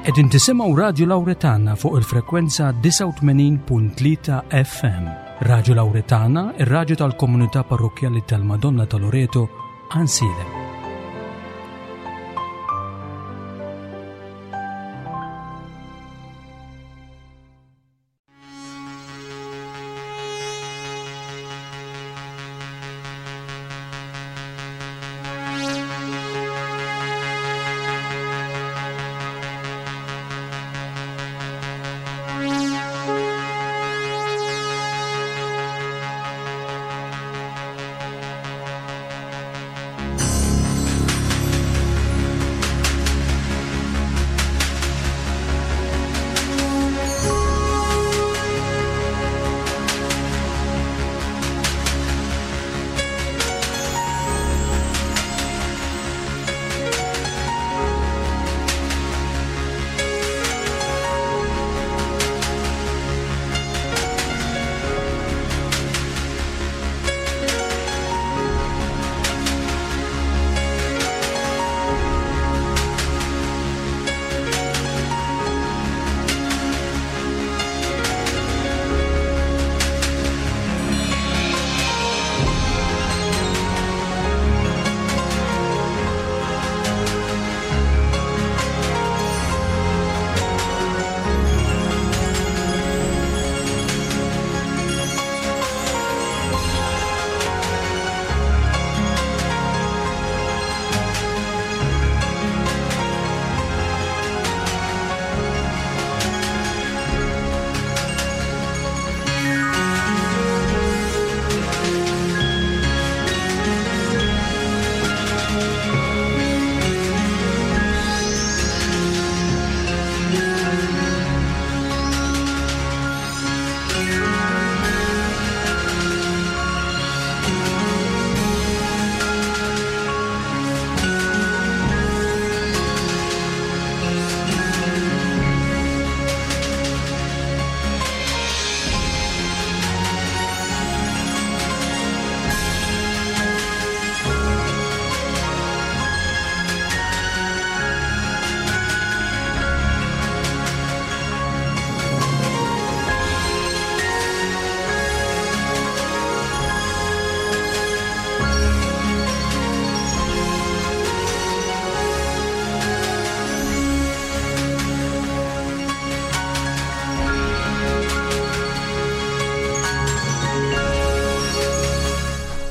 Qegħdin tisimgħu Radju Lawretana fuq il-frekwenza 89.3 FM. Radju Lawretana, ir-radju tal-komunità parrokkjali tal-Madonna ta' Loreto, Għansielem.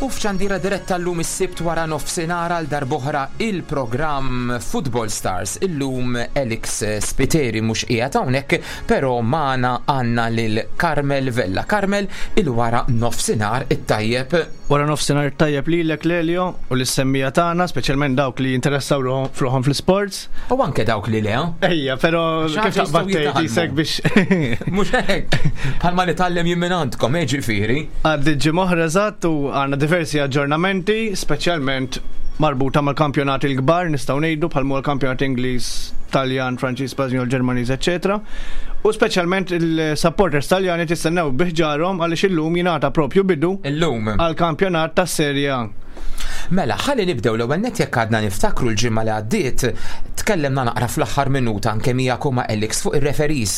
U f'xandira diretta llum is-Sibt wara nofsinhar għal darb'oħra il-programm Football Stars. Illum Alex Spiteri mhux qiegħed hawnhekk, però magħna għandna lil Carmel Vella. Carmel, il-wara nofsinhar it-tajjeb. Wara nofsinhar it-tajjeb lilek Lelio u lis-semmija tagħna, speċjalment dawk li jinteressaw ruħhom fl-isports. U anke dawk li le. Ejja, però kif taqbad tgħid isek biex. Mhux hekk. Bħalma nitgħallem jien minn għandkom, eh ġifieri. Għaddi ġimgħa oħra eżatt u għandna diversi aġġornamenti, speċjalment marbuta mal-kampjonati l-kbar nistgħu ngħidu bħal l-kampjonat Ingliż, Taljan, Franċiż, Spanjol, Ġermaniż, eċetera. U speċjalment il-supporters Taljani tistennew biħġarhom għaliex illum jingħata propju bidu illum għall-kampjonat tas-Serie A. Mela, ħalli nibdew l-ewwel nett jekk għadna niftakru l-ġimgħa li għaddiet, tkellimna naqra fl-aħħar minuta anke miegħek u ma' Alex fuq ir-referees.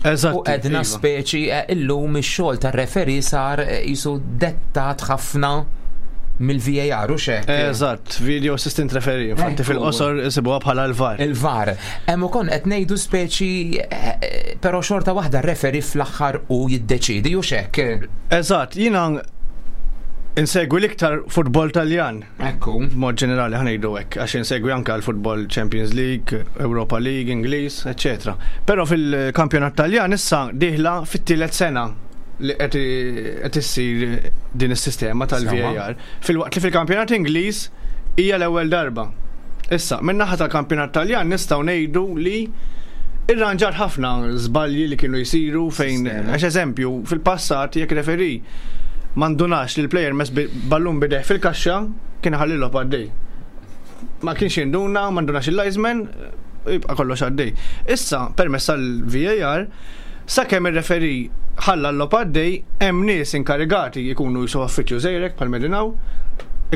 Eżatt. U għedna iva. speċi eh, illum ix-xogħol tar-referee sar eh, jisu dettat ħafna mill-VAR u xek. Eżatt, Video Assistant Referee, infatti Ekku. fil-qosor isibuha bħala l-VAR. Il-VAR. Hemm ukoll qed ngħidu speċi eh, però xorta waħda r-referee fl-aħħar u jiddeċiedi u xek. Eżatt, jiena insegwi l-iktar futbol Taljan. Ekku. B'mod ġenerali ħanejdu hekk, għax insegwi anke l-futbol Champions League, Europa League, Ingliż, eċetera. Però fil-kampjonat Taljan issa dieħla fit-tielet sena li qed issir din is-sistema tal-VAR. Filwaqt li fil-kampjonat Ingliż hija l-ewwel darba. Issa, min-naħa tal-kampjonat Taljan nistgħu ngħidu li irranġat ħafna żbalji li kienu jsiru fejn, għax eżempju, fil-passat jekk referee ma ndunax li l-plejer mess ballun bideh fil-kaxxa, kien iħalli l-logħob għaddej. Ma kienx jinduna, ma ndunax il-linesman, jibqa' kollox għaddej. Issa, permezz tal-VAR, sakemm ir-referee ħalla l-logħob għaddej, hemm nies inkarigati jkunu jisu uffiċċju żgħirek bħal Medinaw,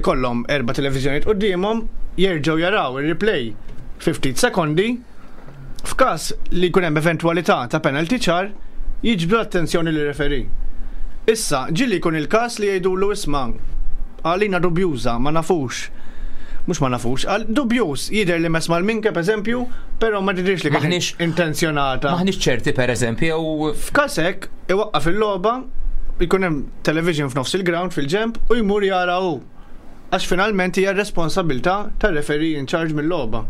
ikollhom erba' televiżjonijiet quddiemhom, jerġgħu jaraw ir-replay fi ftit sekondi. F'każ li jkun hemm eventwalità ta' penalty ċar, jiġbdu l-attenzjoni lir-referee. Issa, ġieli jkun il-każ li jgħidulu isma' għalina dubjuża, ma nafux. Mhux ma nafux, għal dubjuż, jidher li mess mal-minkeb eżempju, però ma tidhirx li kienet intenzjonata. Maħniex ċerti pereżempju jew. F'każ hekk, iwaqqaf il-logħba, jkun hemm television f'nofs il-ground fil-ġenb u jmur jara hu. Għax finalment hija r-responsabbiltà tar-referee in charge mil-logħba.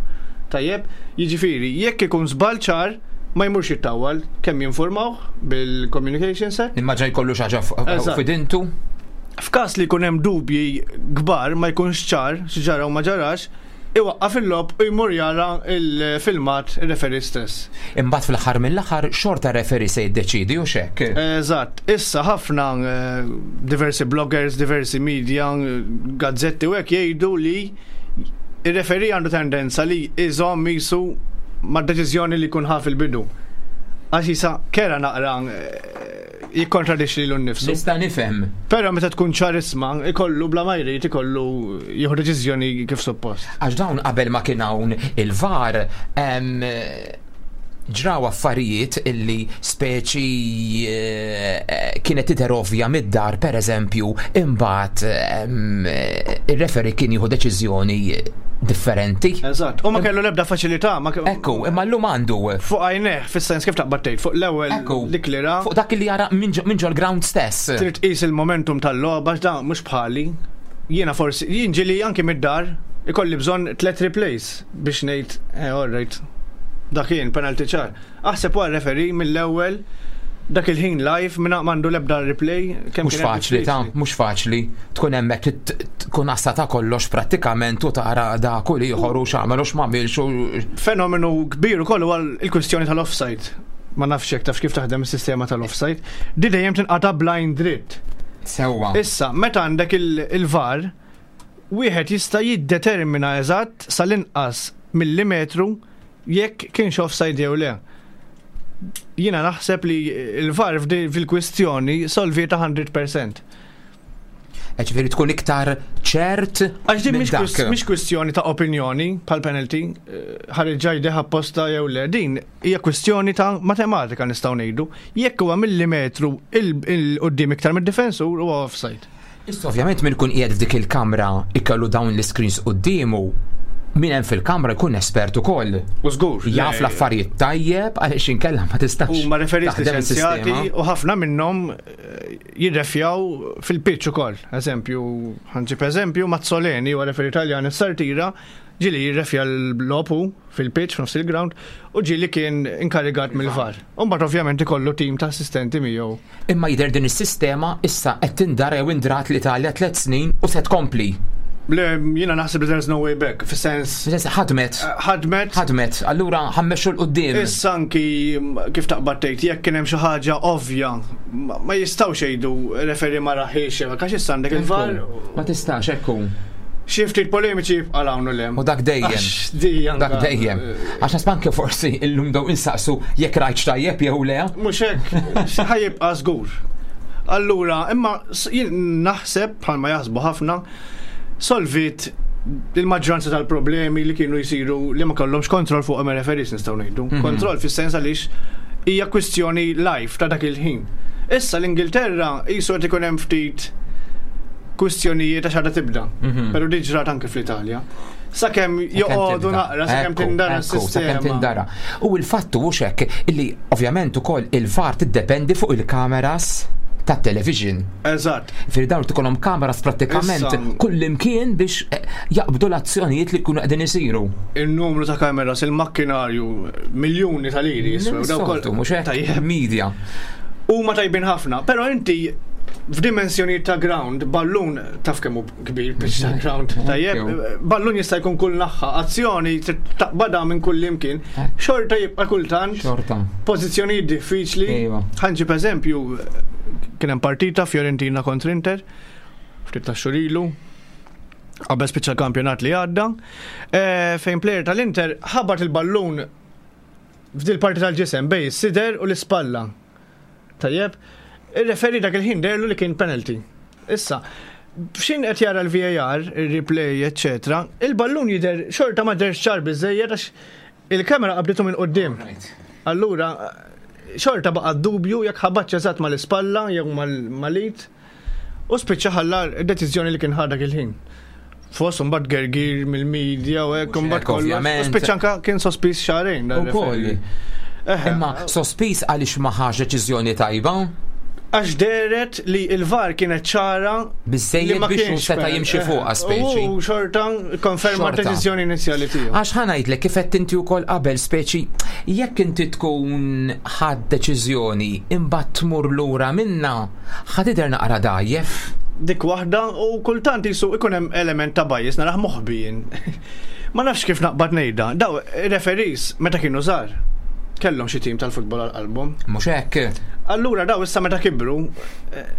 Tajjeb? Jiġifieri, jekk ikun żball ċar, ma jmurx jittawwal, kemm jinfurmawh bil-communication set. Immaġina jkollu xi ħaġa f'idintu. F'każ li jkun hemm dubji kbar ma jkunx ċar x'ġara u ma ġarax, iwaqqaf il-logħob u jmur jara l-filmat ir-referee stess. Imbagħad fl-aħħar mill-aħħar xorta r-referee se jiddeċiedi hux hekk? Eżatt. Issa ħafna diversi bloggers, diversi media, gazzetti u hekk jgħidu li ir-referee għandu tendenza li jżomm qisu mad-deċiżjoni li jkun ħa fil-bidu. Għax jisa kera naqra jikkontradixxi lilu nnifsu. Nista' nifhem. Però meta tkun ċarisma, ikollu bla ma jrid ikollu jieħu deċiżjoni kif suppost. Għax dawn qabel ma kien hawn il-VAR ġraw affarijiet illi speċi eh, kienet tidher ovvja mid-dar pereżempju imbagħad ir-referee kien jieħu deċiżjoni differenti. Eżatt. U ma kellu l-ebda faċilità. Ekku, imma llum għandu. Fuq għajneh, fis-sens kif taqbad tgħid, fuq l-ewwel dik li ra. Fuq dak li jara minn ġol-ground stess. Trid tqis il-momentum tal-logħba għax dan mhux bħali. Jiena forsi, jien ġieli anki mid-dar ikolli bżonn tlet replays biex ngħid, eh, all right. Dak kien penalty ċar. Aħseb wara referee mill-ewwel dak il-ħin live minn m'għandu l-ebda replay. Mhux faċli ta' mhux faċli tkun hemmhekk tkun għassa ta' kollox prattikament u tara dak u ieħor u x'għamel u x'm'għamilx u. Fenomenu kbir ukoll huwa l-kwistjoni tal-offside. Ma nafx jekk tafx kif taħdem is-sistema tal-offside. Di dejjem tinqata' blind dritt. Sewwa. Issa, meta għandek il-VAR, wieħed jista' jiddetermina eżatt sal-inqas millimetru jekk kienx offside jew le. Jiena naħseb li l-VAR fil-kwistjoni solvieta 100%. Eh, ġifieri tkun iktar ċert. Għax din mhix kwistjoni ta' opinjoni bħal penalty, eh, ħareġ jdejh apposta jew le, din hija kwistjoni ta' matematika nistgħu ngħidu. Jekk huwa millimetru il-qudiem iktar mid-difensur huwa offside. Issa ovvjament min ikun qiegħed f'dik il-kamra ikollu dawn l-iscreens quddiemu, min hemm fil-kamra jkun espert ukoll. U żgur. Jaf l-affarijiet tajjeb għaliex inkella ma tistax. Huma referees liċenzjati u ħafna minnhom eh, jirrefjaw fil-pitch ukoll. Eżempju, ħanġib eżempju, Mazzoleni huwa referee Taljan is-Sartira ġieli jirrefja l-logħob hu fil-pitch f'nofs il-ground u ġieli kien inkarigat mill-VAR. U mbagħad ovvjament ikollu tim ta' assistenti miegħu. Imma jidher din is-sistema issa qed tindara jew indrat l-Italja tlet snin u se tkompli. Le, jiena naħseb li there's no way back, fis-sens. Fis-sens ħadmet. Eh, ħadmet. Ħadmet, allura ħammexxu 'l quddiem. Issa anki kif taqbad tgħid, jekk kien hemm xi ħaġa ovvja, ma jistgħux jgħidu referi ma raħiex, għax issa għandek il-VAR. Ma tistax, ekku. Xi ftit polemiċi jibqa' hawn u lem. U dak dejjem. Dak dejjem. Għax nasib anke forsi illum daw insaqsu jekk rajtx tajjeb jew le. Mhux hekk, ħa jibqa' żgur. Allura, imma jien naħseb bħalma jaħsbu ħafna, solvit il-maġġoranza tal-problemi li kienu jsiru li ma kellhomx kontroll fuq referees nistgħu ngħidu. Mhm. Kontroll fis-sens għaliex hija kwistjoni live ta' dak il-ħin. Issa l-Ingilterra qisu qed ikun hemm ftit kwistjonijiet għax għadha tibda. Mhm. Però di ġrat anke fl-Italja. Sakemm joqogħdu naqra, sakemm tindara s-sistema. Sakemm tindara. U l-fattu hux hekk illi ovvjament ukoll il-VAR tiddependi fuq il-kameras tat-television. Eżatt. Firri dawn tkollhom kameras prattikament kull imkien biex eh, jaqbdu l-azzjonijiet li jkunu qegħdin isiru. Il-numru ta' kameras, il-makkinarju, miljuni ta' liri jiswew. Mhux hekk media. Huma tajbin ħafna, però inti f'dimensjonijiet ta' ground, ballun taf kemm hu kbir pitch ta' ground, tajjeb, ballun jista' jkun kull naħħa, azzjoni taqbadha minn kull imkien, xorta jibqa' kultant. Xorta. Pożizzjonijiet diffiċli. Iva. Ħanġib eżempju, kien hemm partita Fiorentina kontra Inter, ftit ta' xhur ilu, qabel spiċċa l-kampjonat li għadda, eh, fejn player tal-Inter ħabat il-ballun f'dil parti tal-ġisem bej is-sider u l-ispalla. Tajjeb, ir-referee dak il-ħin derlu li kien penalty. Issa, f'xin qed jara l-VAR, il-replay, eccetera, il-ballun jidher xorta ma derx ċar biżejjed għax Il-kamera qabditu minn quddiem. Allura, xorta baqa' dubju jekk ħabatx eżatt mal-ispalla jew mal-id u spiċċa ħalla d-deċiżjoni li kien ħa dak il-ħin. Fost imbagħad gergir mill-media u hekk imbagħad kollox. U spiċċa anke kien sospiż xahrejn. Ukoll. Imma sospiż għaliex ma ħax deċiżjoni tajba? Għax dehret li l-VAR kienet ċara Biżżejjed biex hu seta' jimxi fuqha speċi. U xorta konferma d-deċiżjoni inizjali tiegħu. Għax ħa ngħidlek kif għedt inti wkoll qabel speċi jekk inti tkun ħadt deċiżjoni imbagħad tmur lura minnha ħa tidher naqra dgħajjef. Dik waħda u kultant qisu ikun hemm element ta' bias narah moħbi jien. Ma nafx kif naqbad ngħidha. Daw referees meta kienu żgħar kellhom xi tim tal-futbol għal qalbhom. Mhux hekk. Allura daw issa meta kibru eh,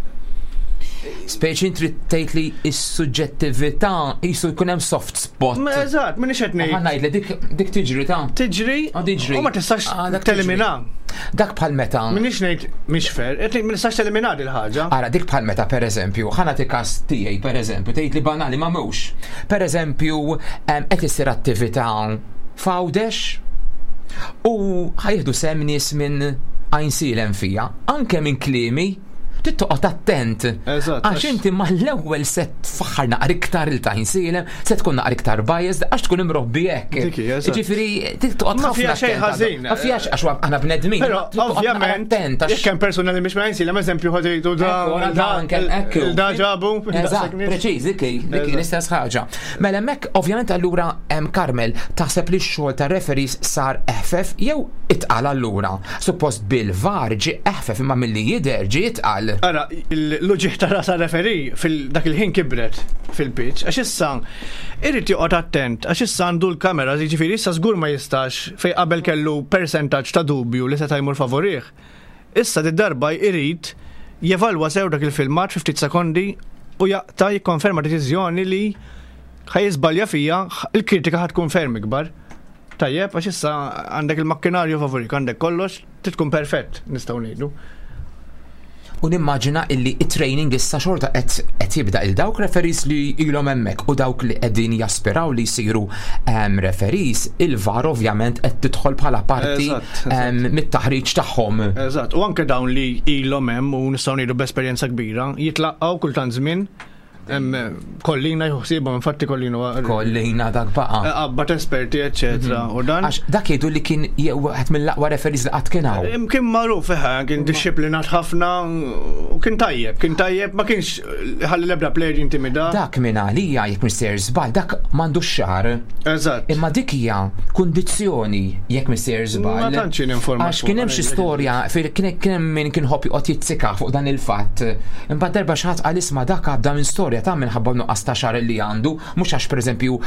Speċi trid tgħid li s-suġġettività qisu jkun hemm soft spot. Ma eżatt, minix qed ngħid. Ħa ngħidlek dik dik tiġri ta' Tiġri, ah, tiġri. U ma tistax ah, telimina. Dak bħal meta. Minix ngħid mhix fair, qed ma nistax telimina dil ħaġa. Ara dik bħal meta pereżempju, ħa nagħti każ tiegħi pereżempju, tgħid li banali ma mhux. Pereżempju, qed issir attività f'Għawdex u ħajħdu sehem nies minn Għajnsielem fija, anke minn kliemi trid toqgħod attent. Għax inti mal-ewwel se tfaħħar naqra iktar il Għajnsielem, se tkun naqra iktar biased għax tkun imrobbi hekk. Ġifieri trid toqgħod ħafna. Ma xejn ħażin. Ma fiha għax aħna bnedmin. Però ovvjament jekk hemm persuna li mhix minn Għajnsielem eżempju ħa tgħidu da da ġabu. Eżatt, preċiż, dik dik l-istess ħaġa. Mela hemmhekk ovvjament allura hemm Carmel taħseb li x-xogħol tar-referees sar eħfef jew itqal allura? Suppost bil-VAR ġie eħfef imma milli jidher ġie itqal. Ara, l-uġigħ ta' ras għar-referee fil dak il-ħin kibret fil-pitch għax issa irid joqgħod attent għax issa għandu l-kameras jiġifieri issa żgur ma jistax fejn qabel kellu persentaġġ ta' dubju li seta' jmur favorih. Issa did-darba jrid jevalwa sew dak il-filmat fi ftit sekondi u jaqta' jikkonferma deċiżjoni li ħa jiżbalja fiha, il-kritika ħa tkun ferm ikbar. Tajjeb, għax issa għandek il-makkinarju favorik, għandek kollox, trid tkun perfett, nistgħu ngħidu. U nimmaġina illi it-training issa xorta qed jibda il dawk referees li ilhom hemmhekk u dawk li qegħdin jaspiraw li jsiru ehm, referees, il-VAR ovvjament qed tidħol bħala parti ehm, mit-taħriġ tagħhom. Eżatt, u anke dawn li ilhom hemm u nistgħu ngħidu b'esperjenza kbira, jitlaqgħu kultant żmien Kollina juħsibhom, infatti kollina. Kollina dak baqa. Eh, qabbat esperti, eccetera. Mhm. U dan. Għax dak jgħidu li kien wieħed mill-aqwa referees li qatt kien hawn. Kien magħruf, eh, kien dixxiplinat ħafna u kien tajjeb, kien tajjeb, ma kienx ħalli l-ebda player jintimida. Dak minn għalija jekk mister żball, dak m'għandux xar. Eżatt. Imma dik hija kundizzjoni jekk mister żball. Ma tantx informat. Għax kien hemm xi storja, kien hemm min kien ħobb joqgħod jitzika fuq dan il-fatt. Imbagħad darba xi ħadd qal isma' dak għadda minn storja ta' minħabba nuqqas ta' xagħar li għandu, mhux għax pereżempju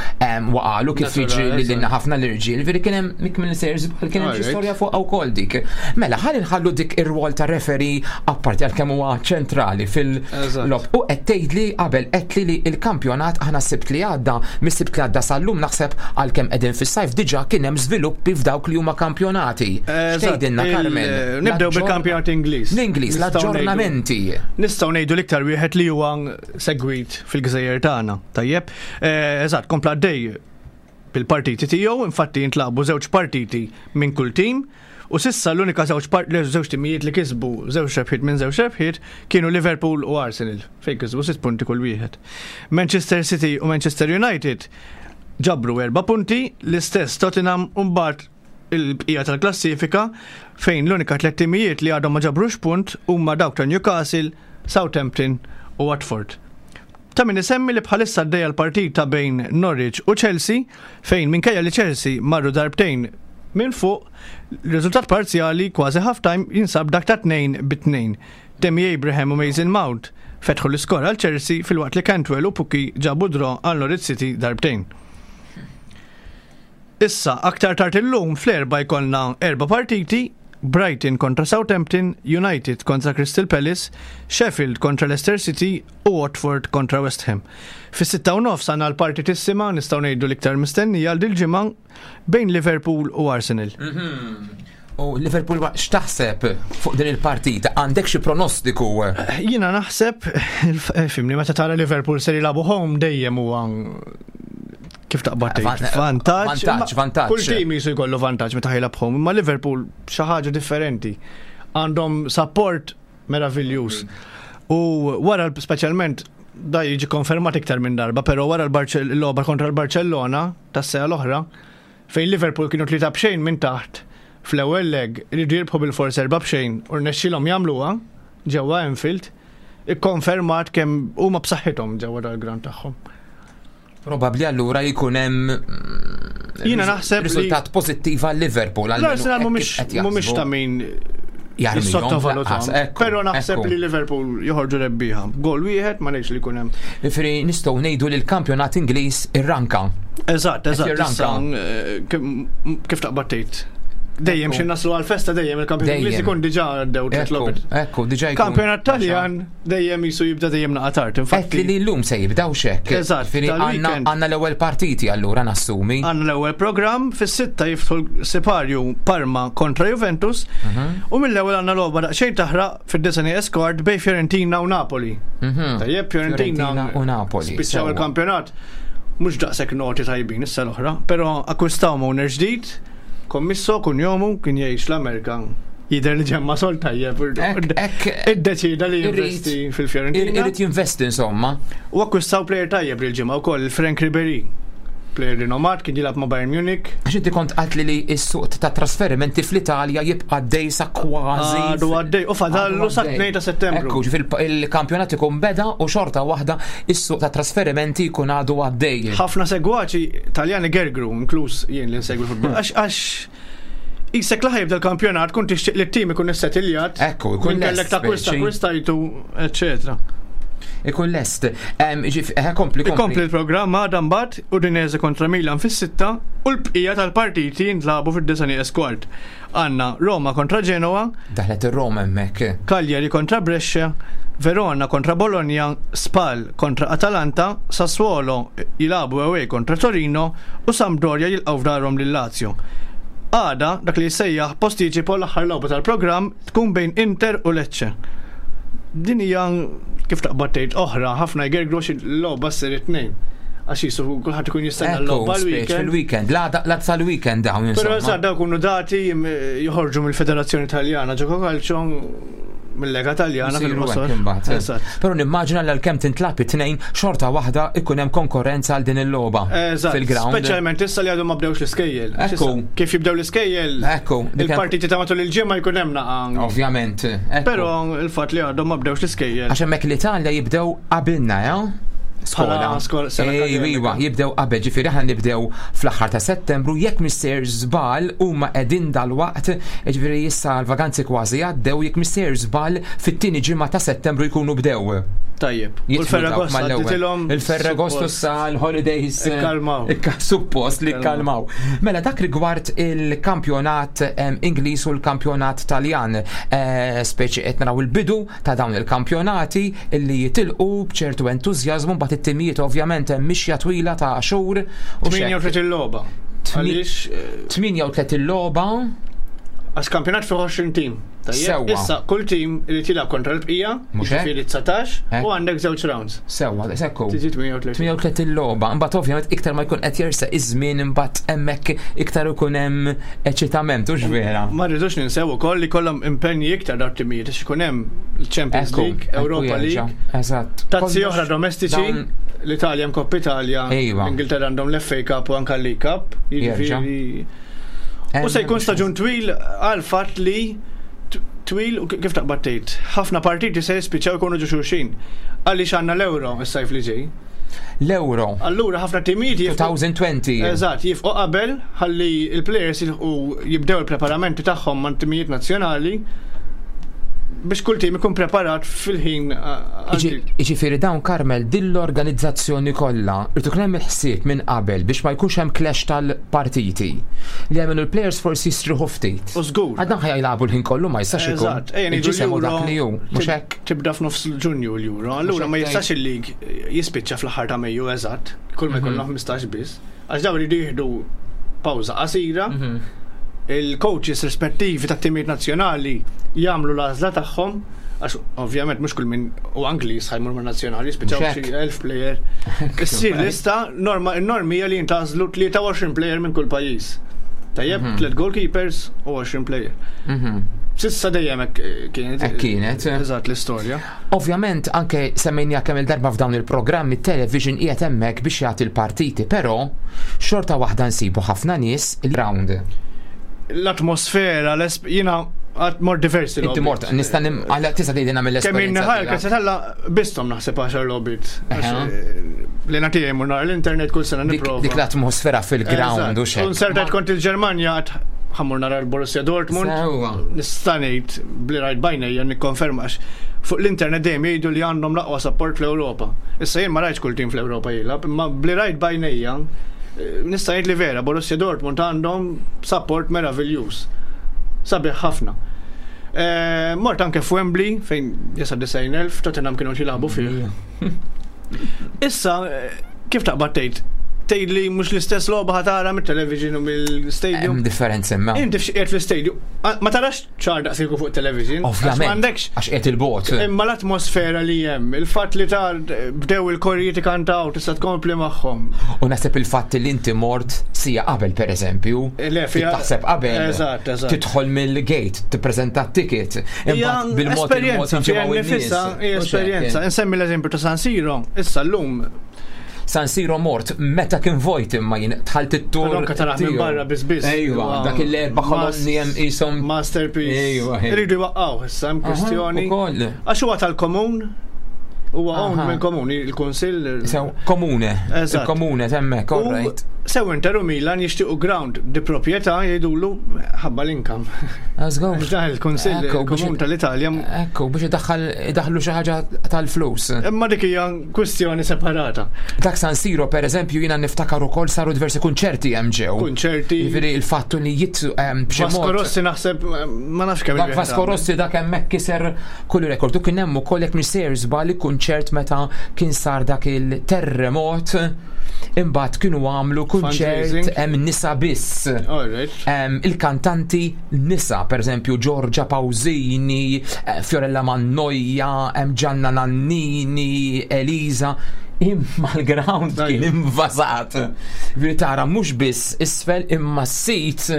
waqalu kif jiġri lilna ħafna l-irġiel, veri kien hemm mik minn sejjer żball kien hemm xi storja fuqha wkoll dik. Mela ħalli nħallu dik ir-rwol ta' referee apparti għalkemm huwa ċentrali fil-lob. U qed tgħidli qabel qedtli li l-kampjonat aħna s-Sibt li għadda, mis-Sibt li għadda sal-lum naħseb għalkemm qegħdin fis-sajf diġà kien hemm żviluppi f'dawk li huma kampjonati. X'tgħidilna Carmel? Nibdew bil-kampjonat Ingliż. L-Ingliż, l-aġġornamenti. Nistgħu ngħidu l-iktar wieħed li huwa segwit fil-gżejjer tagħna. Tajjeb, eh, eżatt, kompla għaddej bil-partiti tiegħu, infatti jintlaqbu żewġ partiti minn kull tim. U sissa l-unika żewġ żewġ timijiet li kisbu żewġ rebħiet minn żewġ rebħiet kienu Liverpool u Arsenal fejn kisbu sitt punti kull wieħed. Manchester City u Manchester United ġabru erba' punti, l-istess Tottenham u mbagħad il-bqija tal-klassifika fejn l-unika tliet timijiet li għadhom ma ġabrux punt huma dawk ta' Newcastle, Southampton u Watford. Ta' min isemmi li bħalissa għaddejja l-partita bejn Norwich u Chelsea fejn minkejja li Chelsea marru darbtejn minn fuq, riżultat parzjali kważi half-time jinsab dak ta' 2 bi 2. Tammy Abraham u Mason Mount fetħu l-iskor għal Chelsea filwaqt li Cantwell u Pukki ġabu draw għal Norwich City darbtejn. Issa, aktar tard illum fl-Erbgħa jkollna erba' partiti, Brighton kontra Southampton, United kontra Crystal Palace, Sheffield kontra Leicester City u Watford kontra West Ham. Fis-sitta u nofs għandna l-partitissima, nistgħu ngħidu l-iktar mistennija għal dil-ġimgħa, bejn Liverpool u Arsenal. U Liverpool x'taħseb fuq din il-partita? Għandek xi pronostiku? Jiena naħseb, fimni, meta tara Liverpool ser jilagħbu home dejjem huwa Kif taqbad tgħid? Vantaġġ. Vantaġġ, vantaġġ. Kull tim jisu jkollu vantaġġ meta ħajlab home, imma Liverpool xi ħaġa differenti. Għandhom support meraviljuż. U wara speċjalment da jiġi konfermat iktar minn darba, però wara l-logħba kontra l-Barcellona tas-sena l-oħra, fejn Liverpool kienu 3-0 minn taħt fl-ewwel leg iridu jirbħu bil-fors 4-0 u rnexxielhom jagħmluha ġewwa Anfield, ikkonfermat kemm huma b'saħħithom ġewwa dal-ground tagħhom. Probabbli allura jkun hemm Jiena naħseb li- riżultat pożittiv għal Liverpool. L-Arsenal mhumiex ta' min jissottovalutahom. Però naħseb li Liverpool joħorġu rebbieħa. Gol wieħed ma ngħidx li jkun hemm. Ġifieri nistgħu ngħidu li l-kampjonat Ingliż irranka. Eżatt, eżatt. jirranka. issa, Kif taqbad tgħid? Dejjem xi naslu għal-festa dejjem il-kampjonat Ingliż Dejjem. ikun diġà għaddew tliet Ekku, logħbiet. ekku, diġà jkun. Kampjonat Taljan dejjem jisu jibda dejjem naqa tard. Qed Infatti li llum se jibdaw xek. Eżatt, Ġifieri għandna tal-weekend. għandna l-ewwel partiti allura nassumi. Għandna l-ewwel programm fis-sitta jiftħu l-siparju Parma kontra Juventus u mill-ewwel għandna logħba daqsxejn taħraq fid-Disney Escort bejn Fiorentina u Napoli. Tajjeb Fiorentina Fiorentina u Napoli, Spiċċaw sewwa. il-kampjonat mhux daqshekk noti tajbin issa l-oħra, però akkwistaw owner ġdid, kommisso kunjomu kien jgħix l-Amerika. Jidher li ġemma sol tajjeb. Ek- ek- Iddeċida li irrid- jinvesti fil-Fiorentina. Irrid jinvesti insomma. U akkwistaw player tajjeb lil-ġimgħa wkoll Frank Ribery. Player rinomat kien jilgħab ma' Bayern Munich. Għax inti kont qalt li li s-suq ta' trasferimenti fl-Italja jibqa' għaddej sa kważi. Għadu għaddej, u fadallu sa Għadu 2 ta' Settembru. Ekku, ġifieri il-kampjonat ikun beda u xorta waħda is-suq ta' trasferimenti jkun għadu għaddej. Ħafna segwaċi Taljani gergru, inkluż jien li nsegwi futbol. Għax għax Isek laħ jibda l-kampjonat kun tixtieq li t-tim ikun issettiljat. Ekku, ikun Min kellek lest, ta' kwista speċi. kwistajtu, eccetera. Ikun lest. Kompli, Ikompli kompli. l-programm għadha mbagħad Udinese kontra Milan fis-sitta u l-bqija tal-partiti jintlabu fid-disa nieqes kwart. Għandna Roma kontra Genoa, Daħlet ir-Roma hemmhekk. Cagliari kontra Brescia, Verona kontra Bologna, Spal kontra Atalanta, Sassuolo jilabu away kontra Torino u Sampdoria jilqgħu f'darhom lil Lazio. Għada, dak li jissejjaħ postiċipo l-aħħar logħba tal-programm tkun bejn Inter u Lecce. Din hija kif taqbad tgħid oħra, ħafna jgergru xi logħba ssir it-tnejn. Għax jisu kulħadd ikun jistenna Ekku, l-logħba speċ l-weekend. fil-weekend. La tal-weekend dawn Però insomma. sa daw kunu dati joħorġu mill-Federazzjoni Taljana ġoko Calcio mill-Lega Taljana Isiru fil-qosor. hekk imbagħad. Eżatt. Però nimmaġina li għalkemm tintlab it-tnejn xorta waħda ikun hemm konkurrenza għal din il-logħba Eżatt. fil-ground. Speċjalment issa li għadhom ma bdewx l-iskejjel. Ekku. Issa, Kif jibdew l-iskejjel, Ekku, dik hemm- il-partiti ta' matul il-ġimgħa jkun hemm naqa. Ovvjament. ekku. Però il-fatt li għadhom ma bdewx l-iskejjel. Għax hemmhekk l-Italja jibdew qabilna, ja? Skola. Bħala skola- sena Ej, akademika. iwa, jibdew qabel, ġifieri aħna nibdew fl-aħħar ta' Settembru, jekk mister żball huma qegħdin dal-waqt, ġifieri issa l-vaganzi kważi għaddew, jekk mister żball fit-tieni ġimgħa ta' Settembru jkunu bdew. Tajjeb. U Jidħlu dawk l-Ferragosto mal-ewwel. għadditilhom. Il-Ferragosto suppost. sa l-holidays. Ikkalmaw. Suppost li ikkalmaw. Mela dak rigward il-kampjonat Ingliż u l-kampjonat Taljan. Speċi qed naraw il-bidu ta' dawn il-kampjonati illi jitilqu b'ċertu entużjażmu mbagħad it-timijiet ovvjament hemm mixja twila ta' xhur u xek. 38 logħba. Għaliex eh, 38 logħba għax kampjonat fi 20 tim. Tajjeb. Sewwa. Issa kull tim irid jilgħab kontra l-bqija, Mhux hekk? jiġifieri 19 Hekk. u għandek żewġ rounds. sewwa, sekku. Tiġi 38. 38 logħba, imbagħad ovvjament iktar ma jkun qed jersa iż-żmien imbagħad hemmhekk iktar ikun hemm eċitament, hux vera. Ma rridux ninsew ukoll li kollhom impenji iktar dawn timijiet għax ikun hemm il-Champions Ekku, League, ekku Europa jerġa', League, Eżatt. tazzi Kollox oħra domestiċi, dawn- l-Italja hemm Coppa Italia, Ejwa. l-Ingilterra għandhom l-FA Cup u anke l-League Cup, jiġifieri U se jkun staġun twil għal fatt li t- twil u kif taqbad tgħid, ħafna partiti se jispiċċaw ikunu ġo xulxin. Għaliex għandna l-Euro is-sajf li ġej. L-Euro Allura ħafna timijiet jifqu 2020. Eżatt, jifqu qabel ħalli il-players jilħqu jibdew il-preparamenti tagħhom ma' timijiet nazzjonali biex kull tim ikun preparat fil-ħin Iġifieri dawn Karmel din l-organizzazzjoni kollha irid ikun hemm il-ħsieb minn qabel biex ma jkunx hemm clash tal-partiti. Li jagħmlu l-players forsi jistriħu ftit. U żgur. Għad dan ħajlabu l-ħin kollu ma jistax ikun. Eżatt, ejja ngħidu Il-ġisem u dak li hu, mhux tib- hekk. Tibda f'nofs Ġunju l-Euro, allura Mhux ma hekk jistax il-lig jispiċċa fl-aħħar ta' Mejju eżatt, kull ma Mhm. jkollna 15 biss. Għax dawn iridu jieħdu pawża qasira, Mhm. il-coaches rispettivi tat timijiet nazzjonali jagħmlu l-għażla tagħhom Għax ovvjament mhux kull min u Angliż ħajmur ma' nazzjonali, spiċċaw Mhux hekk. xi 1000 player. Issir lista norma n-normi hija li jintgħażlu 23 player minn kull pajjiż. Tajjeb, tliet goalkeepers u 20 player. Sissa dejjem hekk eh, kienet. Hekk kienet. Eżatt l-istorja. Ovvjament anke semmejnija kemm il-darba f'dawn il-programmi television qiegħed hemmhekk biex jagħti l-partiti, però xorta waħda nsibu ħafna nies il-round. L-atmosfera, l-esp- jiena għad mort diversi Inti logħbiet. mort, nista' nim għal tista' tgħidilna Kemm mill-esperjenza. innaħar, tiegħek. kazza talla bistom naħseb 10 logħbiet. Għax, Eħe. eh, Li nagħti jmur nara l-internet kull sena Dik nipprova. dik l-atmosfera fil-ground u Eżatt. xek. Un sertajt kont il-Ġermanja għad ħammur nara l-Borussia Dortmund. Sewwa. Nista' ngħid bli rajt bajnejja nikkonferma għax fuq l-internet dejjem jgħidu li għandhom l-aqwa support fl-Ewropa. Issa jien ma rajtx kull tim fl-Ewropa jilgħab, imma bli rajt bajnejja eh, nista' ngħid li vera Borussia Dortmund għandhom support meraviljuż. Sabiħ ħafna. Eh, Mort anke f'Wembley fejn jesa 90,000 Tottenham kienu jilagħbu fih. Issa, eh, kif taqbad tgħid? Tgħid li mhux l-istess logħba ħatara mit-television u mill-stadium. Hemm differenza imma. Inti f'xi fl-stadium, ah, ma tarax ċar daqsiku fuq television. għax Ovvjament. M'għandekx. Għax qiegħed il-bot. Imma l-atmosfera li hemm, il-fatt li tar bdew il-korrijiet ikantaw, tista' tkompli magħhom. U naħseb il-fatt li inti mort sija qabel per eżempju. Eh, Le, fija- Taħseb qabel. Eżatt, eżatt. Tidħol mill-gate, tippreżenta t-ticket. Hija Imbagħad bil-mod il-mod esperjenza, fiha jinġimgħu in-nies. nifisha, hija U x'hekk, esperjenza. eh. Insemmi l-eżempju ta' San Siro, issa llum San Siro mort meta kien vojt imma jien dħalt it-tur. Però anke taraħ minn tiegħu. barra biss biss. Ejwa, Huwa dak il-erba' kolonni hemm qishom. Masterpiece. Ejwa, ejwa. Iridu jwaqqgħu issa hemm Aha, kwistjoni. ukoll. Għax huwa tal-komun, huwa owned Aha. mill-komun, il-kunsill. Sew, komune. Eżatt. Il-komune temmek, U all right. sew Inter u Milan jixtiequ ground di proprjetà jgħidulu ħabba l-inkam. Let's go. Għax dan il-Kunsill Ekku, biex- il-Komun tal-Italja. Ekku, biex idaħħal idaħlu xi ħaġa tal-flus. Imma dik hija kwistjoni separata. Dak San Siro, per eżempju, jiena niftakar ukoll saru diversi kunċerti hemm ġew. Kunċerti. Jiġifieri il-fattu li jitsu ehm, b'xi Vasco mod. Rossi naħseb ma nafx kemm Dak Vasco Rossi dak hemmhekk kiser kull rekord. U kien hemm ukoll jekk mhux sejjer żball kunċert meta kien sar dak il-terremot imbagħad kienu għamlu kunċert Fundraising. hemm nisa biss. All right. Em, il-kantanti nisa, per eżempju Giorgia Pausini, eh, Fiorella Mannoia, em, Gianna Nannini, Elisa, imma l-ground kien Ajju. invasat. Veri tara mhux biss isfel imma s-sit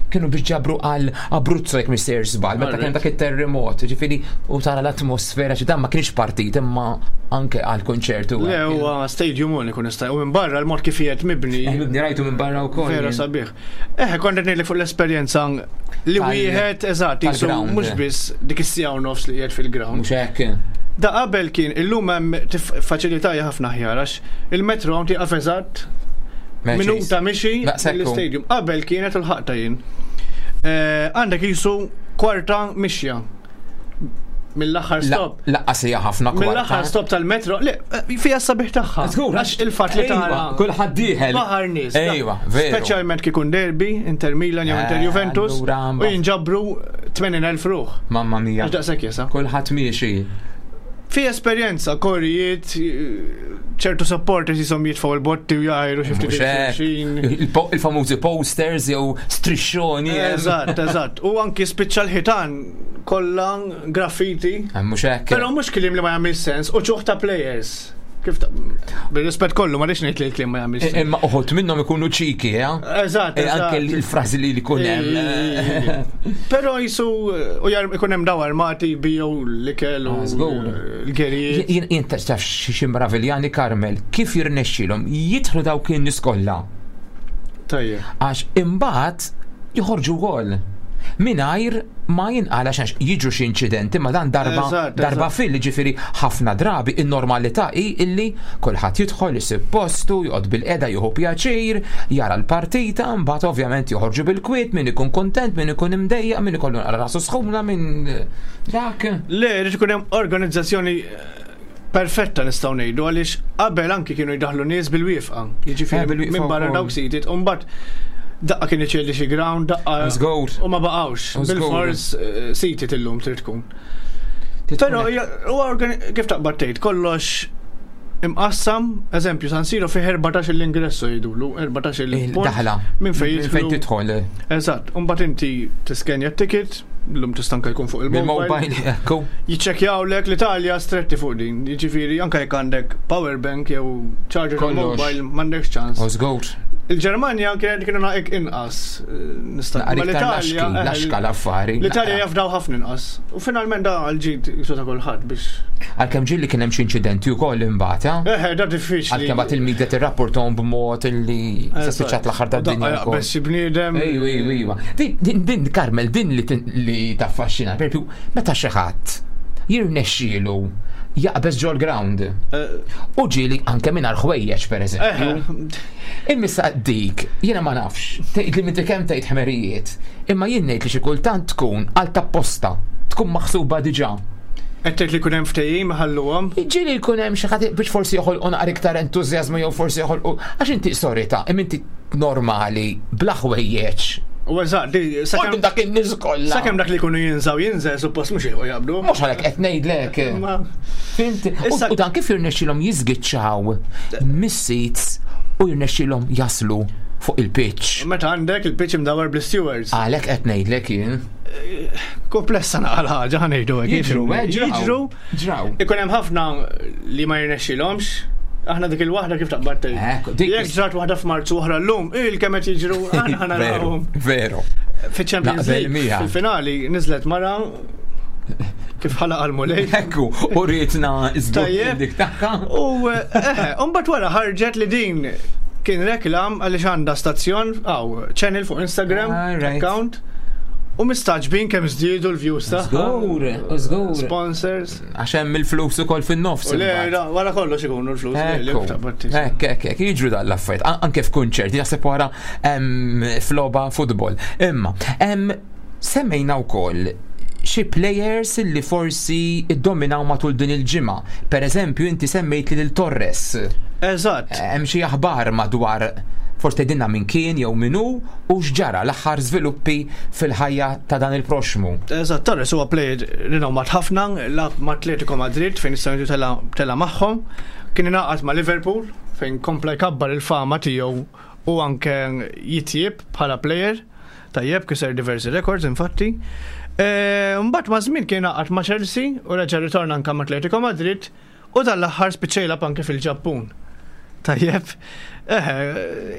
kienu biex ġabru għal Abruzzo jekk mhux sejjer żball, meta kien Alright. dak it-terremot, ġifieri u tara l-atmosfera xi dan ma kienx partit imma anke għal konċertu. Le huwa stadium uniku nista' u minn barra l-mod kif qiegħed mibni. Eh, Mibni rajtu minn barra wkoll. Vera jien. sabiħ. Eh, kont qed ngħidlek fuq l-esperjenza li Tal- wieħed eżatt jisu tal-ground. mhux biss dik is-sija u nofs li qiegħed fil-ground. Mhux hekk. Da qabel kien illum hemm faċilità hija ħafna aħjar għax il-metro hawn tieqaf eżatt minuta mixi Daqshekk hu. l-istadium. Qabel kienet il-ħaqta jien. Eh, Għandek jisu kwarta mixja mill-aħħar stop. Laqqas hija ħafna kwarta. Mill-aħħar stop tal-metro, le, eh, fija sabiħ tagħha. Żgur, Għax il-fatt li Ejwa, tara. Kulħadd dieħel. Baħar nies. Ejwa, veru. Speċjalment kikun derby, Inter Milan jew Inter Eh, Juventus, allura, u jinġabru 80,000 ruħ. Mamma mia. Għax daqshekk jesa. Kulħadd miexi. Fi esperjenza, korijiet, ċertu supporters jisom jitfaw il-botti u jgħajru xi ftit Mhux hekk. xulxin. Il-po- Il-famużi posters jew strixxoni. Eżatt, eżatt. U anki spiċċa l-ħitan kollha graffiti. Eh, Mhux hekk. Però mhux kliem li ma jagħmel sens u ċuħ ta' players. Kif ta' bil-rispett kollu ma rridx ngħid li l-kliem ma jagħmel Eh, sens. Imma uħut minnhom ikunu ċiki, eh? Eżatt, Eh, Anke eżatt. il-frażi li jkun hemm. Però jisu u jar ikun hemm daw armati bijow l-ikel u Ah, żgur. l-gerijiet. Jien jien taf xi mraviljani Karmel, kif jirnexxilhom jidħlu dawk in-nies kollha Tajjeb. għax imbagħad joħorġu wkoll. Mingħajr ma jinqala xax jiġu xi inċidenti ma dan darba Eżatt, darba eżatt. fil ġifieri ħafna drabi in-normalità hi illi kulħadd jidħol isib postu, joqgħod bil-qeda jieħu pjaċir, jara l-partita, mbagħad ovvjament joħorġu bil-kwiet, min ikun kontent, min ikun imdejjaq, min ikollu naqra rasu sħuna, min dak. Le, rrid ikun hemm organizzazzjoni eh, perfetta nistgħu ngħidu għaliex qabel anki kienu jdaħlu nies bil-wifqa. Eh, Jiġifieri bil-wieqfa minn barra wkoll. dawk seated u mbagħad daqqa kien iċelli xi ground, daqqa Żgur. u ma baqgħux. Żgur. Bil-fors eh, seated illum trid tkun. Però hija- huwa organi- kif taqbad tgħid kollox imqassam, eżempju San Siro fih 14 l-ingressu jgħidulu, 14 il-punt Daħla. Minn fejn Minn fejn jidħlu. tidħol. Eżatt, u mbagħad inti tiskenja t-ticket, Illum tista' anke jkun fuq il-mobile. Il-mobile, ekku. Jiċċekkjawlek l-Italja stretti fuq din. Jiġifieri anke jekk għandek power bank jew charger Kollox. mobile m'għandekx ċans. U żgur. Il-Ġermanja kienet kienu naqek inqas. Nista' Naqra imma iktar l-Italja, laxki, laxka l-affari. L-Italja Naqra. jafdaw ħafna inqas. U finalment da għal-ġid jisu ta' kulħadd biex. Għalkemm ġieli kien hemm xi inċidenti wkoll imbagħad, eh? Eħe, da diffiċli. Għalkemm bagħad il-media tirrapportahom b'mod illi se spiċċat l-aħħar tad-dinja Daqqa wkoll. jaqbeż xi bniedem. Ejwa, ejwa, ejwa. Din, din, din, Carmel, din li, tin- li taffaxxina, per eżempju, meta xi ħadd jirnexxielu jaqbeż ġol ground. U ġieli anke mingħajr ħwejjeġ, per eżempju. Eħe. Immissa dik, jiena ma nafx, tgħid li minti kemm tgħid ħmerijiet, imma jien ngħid li xi kultant tkun għal tapposta, tkun maħsuba diġà. Qed tgħid li jkun hemm ftehim ħalluhom. Ġieli jkun hemm xi ħadd biex forsi joħolqu naqra iktar entużjażmu jew forsi joħolqu għax inti sorry ta' imma inti normali bla ħwejjeġ. U eżatt, di Sakemm sakemm dak in-nies kollha. sakemm dak li jkunu jinżaw jinżel suppost mhux jilqu jaqbdu. Mhux għalhekk qed ngħidlek. Ma- Fint? U Issa- u dan kif jirnexxilhom jiżgiċċaw mis-seats u jirnexxilhom jaslu fuq il-pitch. Meta għandek il-pitch imdawar bl-stewards. Għalhekk qed ngħidlek jien. Komplessa naqal ħaġa ħanejdu hekk. Jiġru, eh, ġraw. Jiġru. Ġraw. Ikun hemm ħafna li ma jirnexxilhomx. Aħna dik il-waħda kif taqbad tgħid. Ekku, dik Jekk ġrat waħda f'Marzu oħra llum, il kemm qed jiġru aħna Veru, narawhom. veru. Fiċ-Champions Naqbel League miegħek. fil-finali niżlet mara kif ħalaq għal-mulej. Ekku, u rietna iżgur Tajjeb. dik tagħha. U eh, mbagħad wara ħarġet li din kien reklam għaliex għandha stazzjon aw channel fuq Instagram Alright. account u mistaġbin kemm żdiedu l-views tagħha. Żgur, żgur. Sponsors. Għax hemm il-flus ukoll fin-nofs. U le, imbagħad. ra- wara kollox ikunu l-flus. le, li Ekku, taqbad tgħid. ekk, ekk, ekk, jiġru dan l-affarijiet, anke f'kunċerti, jaħseb wara em, f'logħba futbol. Imma, em, semmejna wkoll xi players li forsi iddominaw matul din il-ġimgħa. Per eżempju, inti semmejt lil Torres. Eżatt. Hemm xi aħbar madwar forsi tgħidilna min kien jew min hu u x'ġara l-aħħar żviluppi fil-ħajja ta' dan il-proxmu. Eżatt, Torres huwa player rinomat ħafna, lagħab ma' Atletico Madrid fejn issa tela tela magħhom. Kien ingħaqad ma' Liverpool fejn kompla jkabbar il-fama tiegħu u anke jitjieb bħala player. Tajjeb kiser diversi records infatti. E, Mbagħad ma' żmien kien ingħaqad ma' Chelsea u reġa' ritorna anke ma' Atletico Madrid u dal-aħħar spiċċa jilgħab anke fil-Ġappun. Tajjeb, eħe,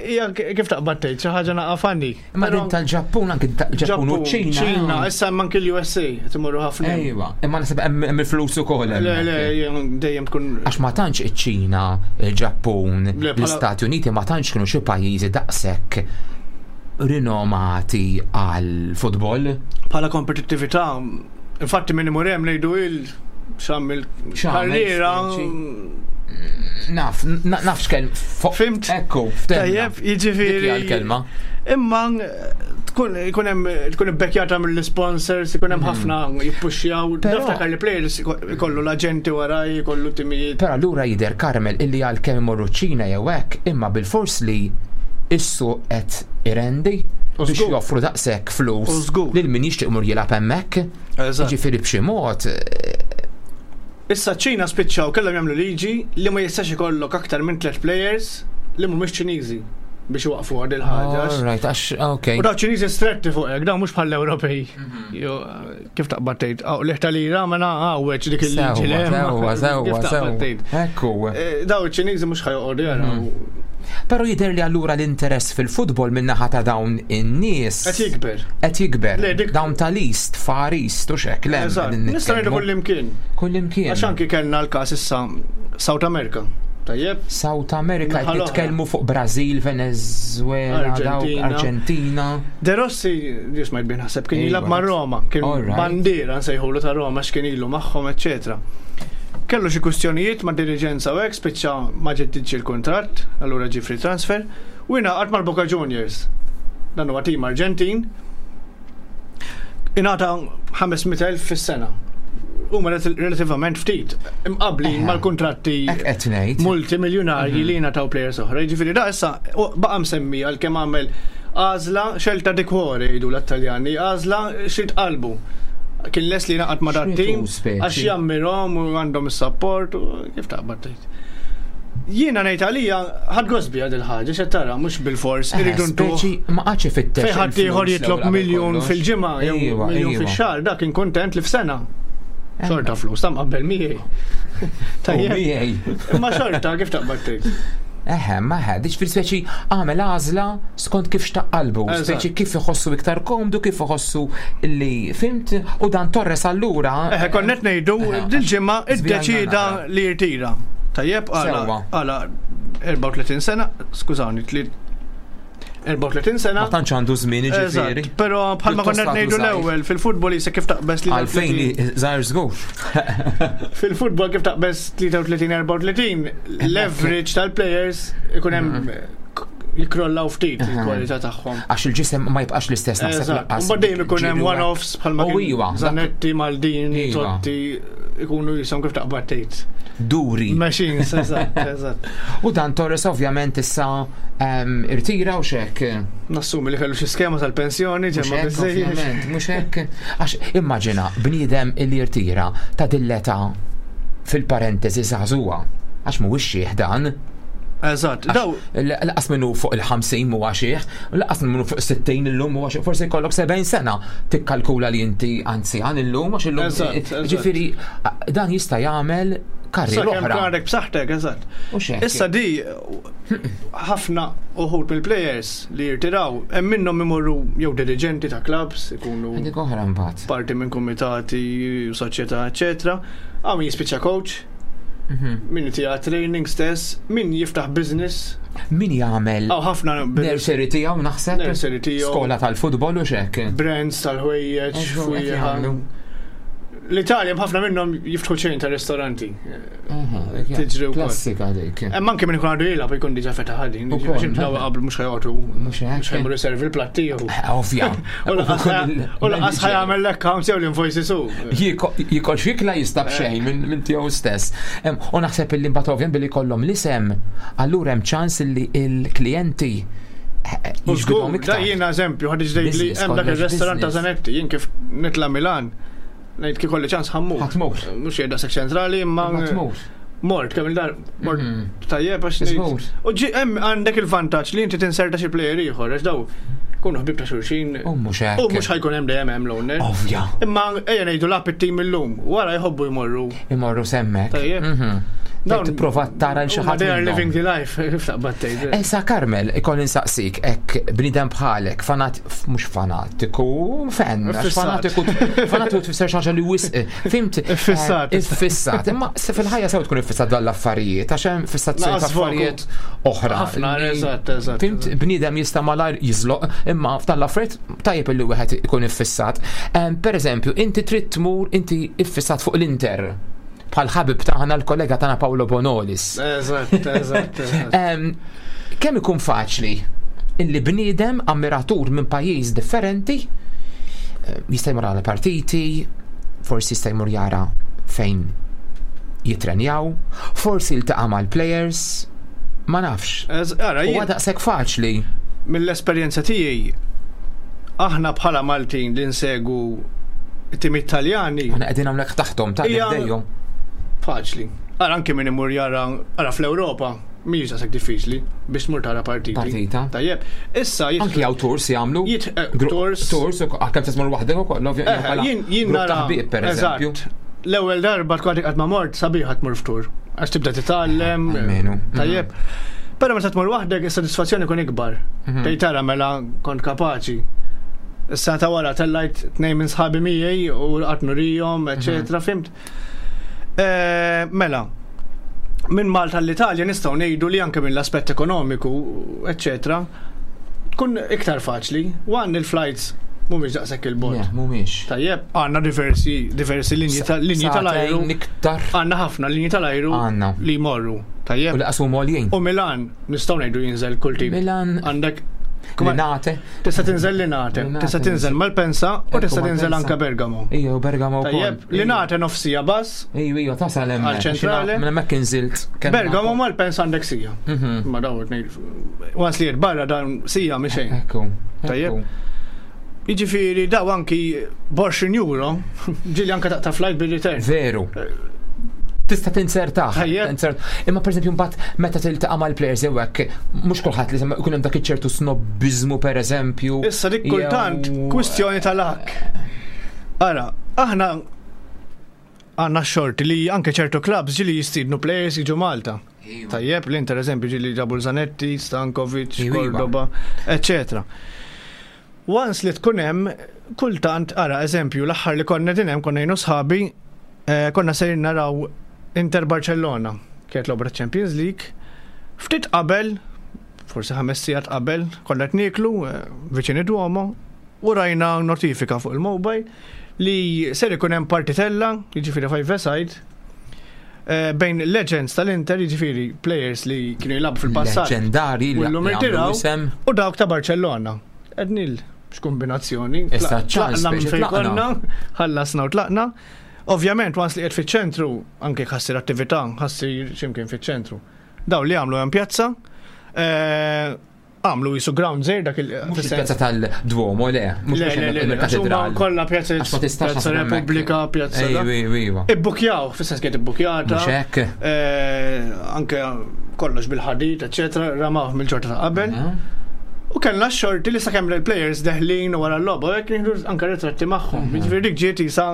hija kif taqbad tgħid xi ħaġa naqa' funny. Imma Però- din tal-Ġappun anke tal-Ġappun u ċ-Ċina. ċina, issa hemm anke l-USA qed imorru ħafna. hemm. Ejwa, imma naħseb hemm hemm il-flus ukoll Le, le, hemmhekk. jem- dejjem tkun Għax ma tantx iċ-Ċina, il-Ġappun, Le, bħala- l-Istati Uniti ma tantx kienu xi pajjiżi daqshekk rinomati għal futbol. bħala kompetittività. Infatti minn imur hemm ngħidu il xammil X'għamel, karriera. speċi. Naf, na- naf x'kelm. Fimt? Ekku, ftemna. Tajjeb, jiġifieri. Dik hija l-kelma. Imma tkun ikun hemm tkun ibbekkjata mill-sponsors, ikun hemm ħafna jippuxxjaw. Mhm. Però- Niftakar li players ikollu l-aġenti waraj, ikollu timijiet. Però allura jidher Carmel illi għal kemm imorru ċ-Ċina jew hekk, imma bil-fors li issu qed irendi U biex żgur. joffru daqshekk U flus żgur. lil min jixtieq imur jilgħab hemmhekk. Eżatt. Jiġifieri b'xi mod eh, Issa ċ-Ċina spiċċaw kellhom jagħmlu liġi li ma jistax ikollok aktar minn tliet players li mhumiex Ċiniżi biex iwaqfu għad il-ħaġa. All right, għax ok. U daw Ċiniżi stretti fuq hekk, daw mhux bħall-Ewropej. Mhm. Jo, kif taqbad tgħid, aw liħ tal-ira ma għawweġ dik il-liġi li hemm. Sewwa, sewwa, Kif taqbad sewwa. tgħid. Ekku. Eh, Daw iċ-Ċiniżi mhux ħajoqogħdu jaraw. Mhm. Però jidher li allura l-interess fil-futbol min-naħa ta' dawn in-nies Qed jikber. Qed jikber. Le, dik- Dawn tal-East, Far East u xek, le. Eżatt, qegħdin nista' ngħidu nitkellmu. kullimkien. Kullimkien. Għax anki kellna l-każ issa South America. Tajjeb? South America Naħa qed l-oħra. nitkellmu fuq Brażil, Venezuela, dawk Argentina. Argentina. De Rossi, ġis ma jbin ħaseb, kien Ejwa. jilab ma' Roma, kien Alright. bandiera nsejħulu ta' Roma x'kien ilu magħhom, eccetera. Kellu xi kwistjonijiet ma' diriġenza u hekk spiċċa ma ġeddidx il-kuntratt, allura ġie free transfer, u ingħaqad mal-Boca Juniors. Dan huwa tim Arġentin. Ingħata 500,000 fis-sena. Huma relativament ftit, imqabli Eħe. mal-kuntratti Hekk qed ngħid. multimiljonarji li jingħataw players oħra. Jiġifieri da issa u baqa' msemmi għal kemm għamel għażla xelta di cuore jgħidu l-Taljani, għażla xilt qalbu. Kien les li naqat ma' dat X'ritu tim speċi? għax jammirhom u għandhom is-support u kif taqbad tgħid. Jiena ngħid għalija ħadd gost biha dil-ħaġa x'qed tara mhux bilfors iridu ntuh. Speċi ma qatx ifittex. Fejn ħadd ieħor jitlob miljun fil-ġimgħa jew miljun fix-xahar dak kien kuntent li f'sena. Xorta flus, ta' mqabbel miegħi. Tajjeb. Miegħi. Imma xorta kif taqbad tgħid. Eħe, ma eħe, dik fil speċi għamel għażla skont kif xtaq qalbu, speċi kif iħossu iktar komdu, kif iħossu li fimt, u dan Torres allura. Eħe, konnet ngħidu dil-ġimgħa iddeċida li jirtira. Tajjeb, għala, għala 34 sena, skużawni, 34 sena. Ma tantx għandu żmien jiġifieri. Però bħalma konna ngħidu l-ewwel fil-futbol jisa kif taqbeż li Għalfejn żgħir żgur. Fil-futbol kif taqbeż 33-34 l-average tal-players ikun hemm mhm. jikrollaw ftit il-kwalità tagħhom. Għax il-ġisem ma jibqax l-istess naħseb lanqas. Mbagħad dejjem ikun hemm one-offs bħalma kien iva, Zanetti, Maldini, iva. Totti ikunu jisom kif taqbad tgħid. Duri. Machines, eżatt, eżatt. U dan Torres ovvjament issa ehm, irtira u xek. Nassumi li kellu xi skema tal-pensjoni ġemma biżejjed. Mhux hekk. Għax immaġina bniedem li jirtira ta' dilleta fil-parentesi żagħżugħa għax mhuwiex xieħ dan. Eżatt, daw. Laqas minnu fuq il-50 huwa xieħ, laqas minnu fuq 60 illum huwa xieħ, forsi jkollok 70 sena tikkalkula li inti anzjan illum għax illum. Ġifieri dan jista' jagħmel karriera oħra. Għandek b'saħħtek, eżatt. Issa di ħafna uħud mill-players li jirtiraw, hemm minnhom imorru jew diriġenti ta' clubs, ikunu Dik oħra mbagħad. parti minn kumitati, soċjetà, eċetera. Hawn min jispiċċa coach, min jtiha training stess, min jiftaħ business. Min jagħmel Hawn ħafna nursery tiegħu naħseb. Nursery tiegħu. Skola tal-futbol u x'hekk. Brands tal-ħwejjeġ, fwieħa. L-Italja ħafna minnhom jiftħu ċejn ta' ristoranti. Tiġri wkoll. Klassika dik. Hemm anke min ikun għadu jilgħab ikun diġà fetaħ ħadin. Daw qablu mhux ħajqogħdu. Mhux ħajmur iservi l-platt tiegħu. Eh, ovvja. U laqas ħajamel l-accounts jew l-invoices hu. Jikol xikla jista' b'xejn minn tiegħu stess. U naħseb illi mbagħad ovvjament billi jkollhom l-isem, allura hemm ċans li l-klijenti eh, U żgur, da jiena eżempju, ħad li hemm dak ir-restorant ta' Zanetti, jien kif nitla' Milan, Ngħid kif kolli ċans ħammur. Ħatmur. Mhux jgħid daqshekk ċentrali imma. Ħatmur. Mort kemm il-dar mort mhm. tajjeb għax ngħid. U ġi hemm għandek il-vantaġġ li inti tinserta xi plejer ieħor għax daw kunu ħbib ta' xulxin. U mhux hekk. U mhux ħajkun hemm dejjem hemm l-owner. Ovvja. Imma ejja ngħidu lab it-tim illum, wara jħobbu jmorru. Imorru semmek. Tajjeb. Mhm. Dawn tipprova tara l xi ħadd. They are living the life, kif taqbad tgħid. Issa Carmel, ikolli nsaqsik hekk bniedem bħalek, fanat mhux fanatiku, fan, għax fanatiku, fanatiku tfisser xi ħaġa li wisq, fimt? Iffissat. Eh, iffissat, imma se fil-ħajja sew tkun iffissat dan l-affarijiet, għax hemm fissazzjoni ta' affarijiet oħra. Ħafna, eżatt, eżatt. Fimt, bniedem jista' malajr jiżloq, imma f'dan l-affarijiet tajjeb illi wieħed ikun iffissat. Per eżempju, inti trid tmur, inti iffissat fuq l-Inter bħal ħabib tagħna l-kollega tagħna Paolo Bonolis. Eżatt, eżatt. Kemm ikun faċli illi bniedem ammiratur minn pajjiż differenti eh, jista' jmur għal partiti, forsi jista' jmur jara fejn jitrenjaw, forsi jiltaqa' mal-players, ma nafx. Huwa daqshekk faċli. Mill-esperjenza tiegħi aħna bħala Maltin li nsegu it-tim Italjani. Aħna qegħdin hawnhekk taħtom ta' dejjem. Faċli. Ara anke min imur jara ara fl-Ewropa mhijiex daqshekk diffiċli biex tmur tara partiti. Partita. Tajjeb. Issa Anki hawn tours jagħmlu. Eh, tours. Tours, kemm se tmur waħdek ukoll, ovvjament. Eh, jien nara. per eżempju. L-ewwel darba tkun qatt ma mort sabiħa tmur f'tur. Għax tibda titgħallem. Almenu. Tajjeb. Però meta tmur waħdek is-sodisfazzjoni ikun ikbar. Mhm. Tgħid tara mela kont kapaċi. Issa ta' wara tellajt tnejn minn sħabi miegħi u qatt nurijhom, eċetera, mhm. fimt? Eh, mela, minn Malta l-Italja nistgħu ngħidu li anke mill-aspett ekonomiku, eċetera, tkun iktar faċli. One il-flights mhumiex daqshekk il-bot. Mhumiex. Tajjeb, għandna diversi diversi linji tal-ajru. Iktar. Għandna ħafna linji tal-ajru li jmorru. Tajjeb. U laqas huma għoljin. U Milan nistgħu ngħidu jinżel kull tip. Milan. Għandek Linate. Tista' tinżel Linate, tista' tinżel Malpensa u tista' tinżel anke Bergamo. Ejja, Bergamo wkoll. Tajjeb, Linate nofsija bas. Ejja, ejja, tasal hemm. Għal-ċentrali. Minn hemmhekk inżilt. Bergamo Malpensa għandek sija. Mhm. Ma daw Once li barra dan sija mhi xejn. Ekku. Tajjeb. Jiġifieri daw anki borxin euro, ġieli anke taqta' flight bil-return. Veru. Tista' tinzertah. Imma pereżempju mbagħad meta tiltaqa' mal-players jew hekk, mhux kulħadd li jkun hemm dak iċ-ċertu snobbiżmu pereżempju. Issa dik kultant kwistjoni tal-ak. Ara, aħna għandna xorti li anke ċertu clubs ġili jistidnu players jiġu Malta. Iva. Tajjeb, l-Inter eżempju ġili ġabu Zanetti, Stankovic, iva, iva. Cordoba, eccetera. Once li tkun hemm, kultant, ara, eżempju, l-aħħar li konna din hemm konna jien u sħabi, eh, konna sejrin naraw Inter Barcellona, kienet l-obra Champions League. Ftit qabel, forsi ħames sigħat qabel, konna qed nieklu eh, viċin id-Duomo u rajna notifika fuq il-mobile li ser ikun hemm partitella, jiġifieri five side, Eh, bejn legends tal-Inter, jiġifieri players li kienu jilagħbu fil-passat. Leġendari li llum irtiraw u dawk ta' Barcellona. Ednil x'kombinazzjoni. Issa tlaqna minn fejn konna, ħallasna u tlaqna. Ovvjament, once li qed fiċ-ċentru, anke ħassir attività, ħassir x'imkien fiċ-ċentru. Daw li għamlu hemm pjazza, eh, Għamlu jisu ground zejr dak il- Mhux il-pjazza tal-Duomo, le. Mhux il-katedral. Kollha pjazza Pjazza Repubblika, pjazza. Iva. Ibbukjaw, fis-sens kienet ibbukjata. Mhux hekk. Eh, anke kollox bil-ħadid, eċetera, ramaw mill-ġorta ta' qabel. U kellna x-xorti li sakemm il-players deħlin wara l-logħba, hekk nieħdu anke ritratti magħhom. Mhm. Jiġifieri dik ġiet isa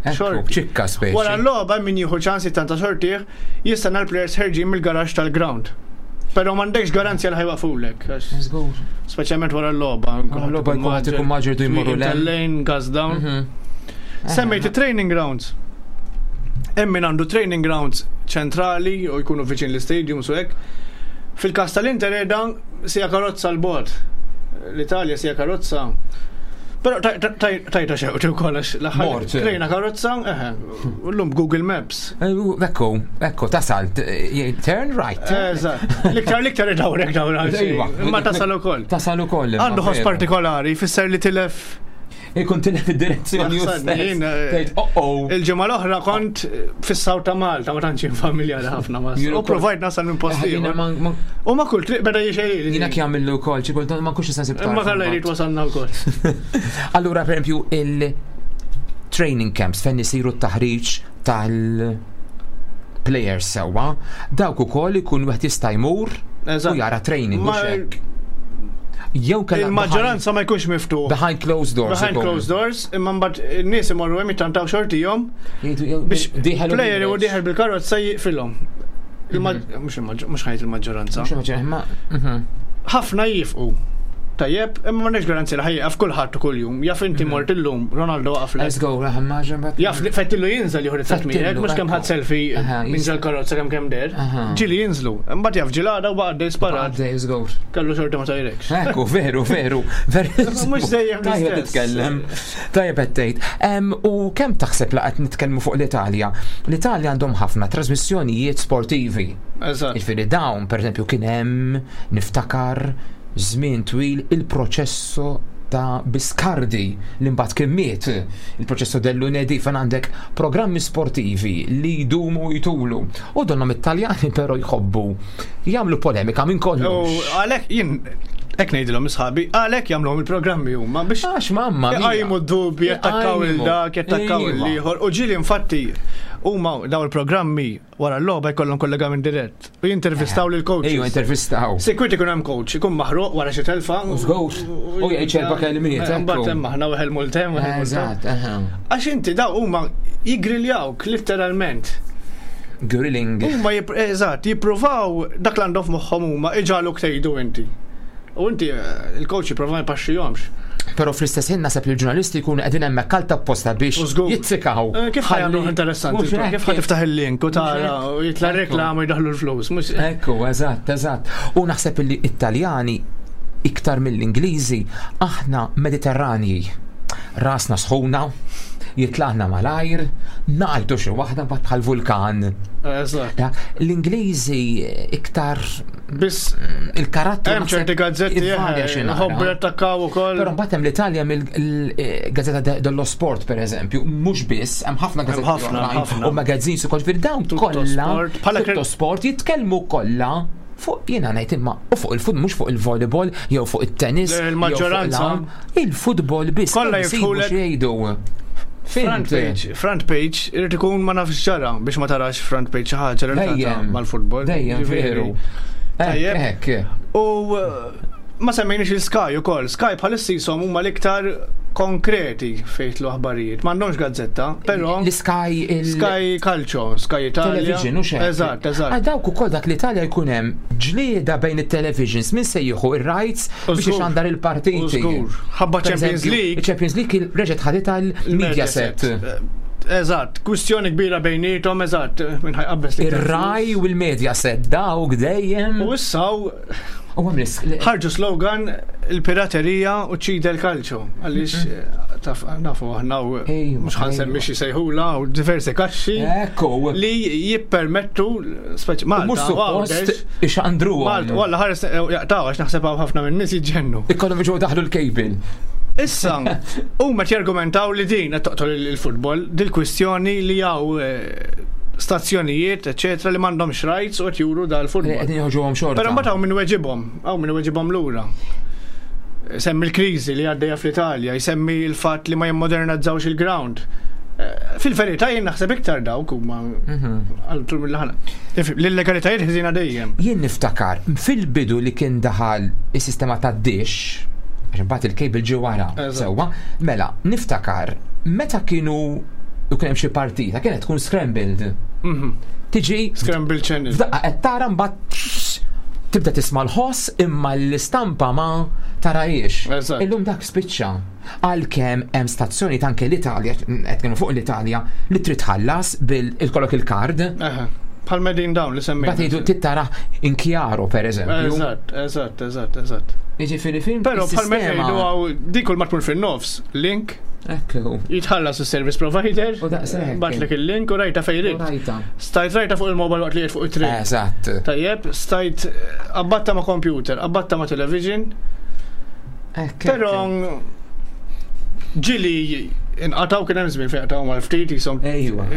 xorti. Ċikka speċi. Wara l-logħba min jieħu ċans jittanta xortih, Jistenna l-players ħerġin mill-garaxx tal-ground. Però m'għandekx garanzja li ħajwaqfulek. Żgur. Speċjalment wara l-logħba. Wara l-logħba jkun qed ikun maġġer du jmorru l Lane, gas down. Mhm. Semmejt training grounds. Hemm min għandu training grounds ċentrali u jkunu viċin l-istadium su hekk. Fil-każ tal-Inter qiegħda sija karozza l-bot. L-Italja sija karozza. Però tajta xewqti wkoll għax l-aħħar. Trejna karozza, eħe, L-lum Google Maps. Eh, ekku, ekku, tasal, turn right. Eżatt. L-iktar l-iktar idawrek dawra. Iva. Ma tasal ukoll. Tasal ukoll. Għandu ħoss partikolari, jfisser li tilef Ikun tilef id-direzzjoni u eh, oh, oh. Il-ġimgħa l-oħra kont fis-saw ta' Malta, ma tantx familjari ħafna ma. U provajt nasal minn posti. U ma kull triq beda jixejli. Jiena jagħmillu wkoll, xi kultant ma nkunx nista' nsib. Ma kalla jrid wasalna wkoll. Allura pereżempju il- training camps fejn isiru t-taħriġ tal-players sewwa, dawk ukoll ikun wieħed jista' jmur u jara training mhux hekk. Jew kellha Il-maġġoranza ma jkunx miftuħ. Behind closed doors. Behind closed doors, imma mbagħad in-nies imorru hemm jittantaw xortihom biex player u dieħel bil-karozza jiqfilhom. Mhux ħajt il-maġġoranza. Mhux il-maġġoranza, mhm. Ħafna jifqu. Tajjeb, imma m'għandekx garanzija li ħajjaqaf kulħadd u kuljum. Jaf inti mhm. mort illum, Ronaldo waqaf Let's go, Jaf li fettillu jinżel jieħu ritratt miegħek, mhux kemm ħadd selfie minn karozza kemm kemm der. Ġieli jinżlu. Imbagħad jaf ġilada u baqa' dej sparat. Kellu xorti ma tajrekx. Ekku, veru, veru. Mhux dejjem Tajjeb titkellem. Tajjeb qed tgħid. U kemm taħseb la qed nitkellmu fuq l-Italja? L-Italja għandhom ħafna trasmissjonijiet sportivi. Eżatt. Jiġifieri dawn, pereżempju, kien hemm niftakar żmien twil il-proċesso ta' Biscardi li mbagħad kien miet, il-proċesso del lunedì fejn għandek programmi sportivi li jdumu jtulu. U donhom it-Taljani però jħobbu jagħmlu polemika minn kollox. U għalhekk jien hekk ngħidilhom isħabi, għalhekk jagħmluhom il-programmi huma biex Għax mamma mia. Iqajmu d-dubji, jattakkaw il dak, jattakkaw il-ieħor. U ġieli infatti huma daw il-programmi wara l-logħba jkollhom kollegament dirett u jintervistaw lil coaches. Ejju, intervistaw. Sikwit ikun hemm coach, ikun maħruq wara xi telfa. Żgur. U jgħid xerba kelmiet. Mbagħad hemm aħna weħel multem. Eżatt, Għax inti daw huma jiggrilljawk litteralment. Grilling. Huma eżatt, jippruvaw dak l għandhom f'moħħhom huma iġagħluk tgħidu inti. U inti eh, il-coach jipprova ma jpaxxihomx. Però fl-istess ħin naħseb li l-ġurnalisti jkunu qegħdin hemmhekk għal tapposta biex jitzikaw. Eh, kif ħajamlu interessanti? Kif ħa tiftaħ il-link u tara u jitla reklam u jdaħlu l-flus. Ekku, eżatt, eżatt. U naħseb li Italjani iktar mill-Ingliżi aħna Mediterranji. Rasna sħuna, jitlaqna malajr, ngħidu xi waħda mbagħad bħal vulkan. Eżatt. L-Ingliżi iktar Biss il-karattru. Hemm ċerti gazzetti ħobbu jattakkaw ukoll. Però mbagħad hemm l-Italja mill-Gazzetta dello Sport pereżempju, mhux biss, hemm ħafna gazzetti u magazines ukoll ġifieri dawn kollha bħala Tutto Sport jitkellmu kollha fuq jiena ngħid imma u fuq il-fut mhux fuq il-volleyball jew fuq it-tennis. Il-maġġoranza. Il-futbol biss. Kollha jiftħulek. Jgħidu. Front page, front page, irid ikun ma nafx ġara biex ma tarax front page xi ħaġa relatata mal-futbol. Dejjem veru. Tajjeb. U eh, ma semmejniex il-Sky ukoll. Sky bħalissa jisom huma l-iktar konkreti fejn jitlu aħbarijiet. M'għandhomx gazzetta, però L-Sky il Sky Calcio, Sky Italia. Television u xejn. Eżatt, eżatt. Għal dawk ukoll dak l-Italja jkun hemm ġlieda bejn it-televisions min se jieħu ir-rights biex ixandar il-partiti. Żgur. Ħabba Champions League. Champions League reġgħet ħaditha l-Mediaset. Eżatt, kwistjoni kbira bejnietom, eżatt, minn ħajqabbes li. Ir-Rai u l-Mediaset dawk dejjem. U issa U Ħarġu slogan il-piraterija u ċida l-kalċo. Għaliex mhm. taf nafu aħna u mhux ħansemmi xi sejħula u diversi kaxxi. Ekku. Li jippermettu speċi Malta. Mhux suppost ixandru. Malta, walla ħares eh, jaqtaw għax naħseb hawn ħafna minn nies jiġġennu. Ikollhom jiġu daħlu l-kejbil. Issa, huma jargumentaw li din qed toqtol il-futbol, dil-kwistjoni li hawn eh, stazzjonijiet, eċetera, li m'għandhomx rights u qed juru dal-futbol. Qed joħġuhom xorta. Però mbagħad hawn min weġibhom, hawn min weġibhom lura. Semmi l-kriżi li għaddejja fl-Italja, jsemmi l-fatt li ma jimmodernizzawx il-ground. Eh, fil-verità jien naħseb iktar dawk huma mhm. għal mill-ħana. L-illegalitajiet ħżina dejjem. Jien niftakar fil-bidu li kien daħal is-sistema tad-dish, għax imbagħad il-cable ġie wara, sewwa, mela niftakar meta kienu u kien hemm xi partita kienet tkun scrambled. Mhm. Tiġi Scrambled channel. F'daqqa qed tara mbagħad tibda tisma' l-ħoss imma l-istampa ma tarajiex. Illum dak spiċċa. Għalkemm hemm stazzjoni anke l-Italja, qed kienu fuq l-Italja, li trid tħallas bil ikollok il-kard. Bħal medin dawn li semmejt. Bagħad jgħidu tittara inkjaro pereżempju. Eżatt, eżatt, eżatt, eżatt. Jiġifieri film. Però bħal meta jgħidu dik kull ma tmur fin-nofs, link Ekku. Jitħallas is-service provider. U daqshekk. Batlek il-link u rajta fejn irid. Stajt rajta fuq il-mobile waqt li fuq it-triq. Eżatt. Tajjeb, stajt abbatta ma' computer, abbatta ma' television. Però ġili inqataw kien hemm żmien fejn qataw mal-ftit jisom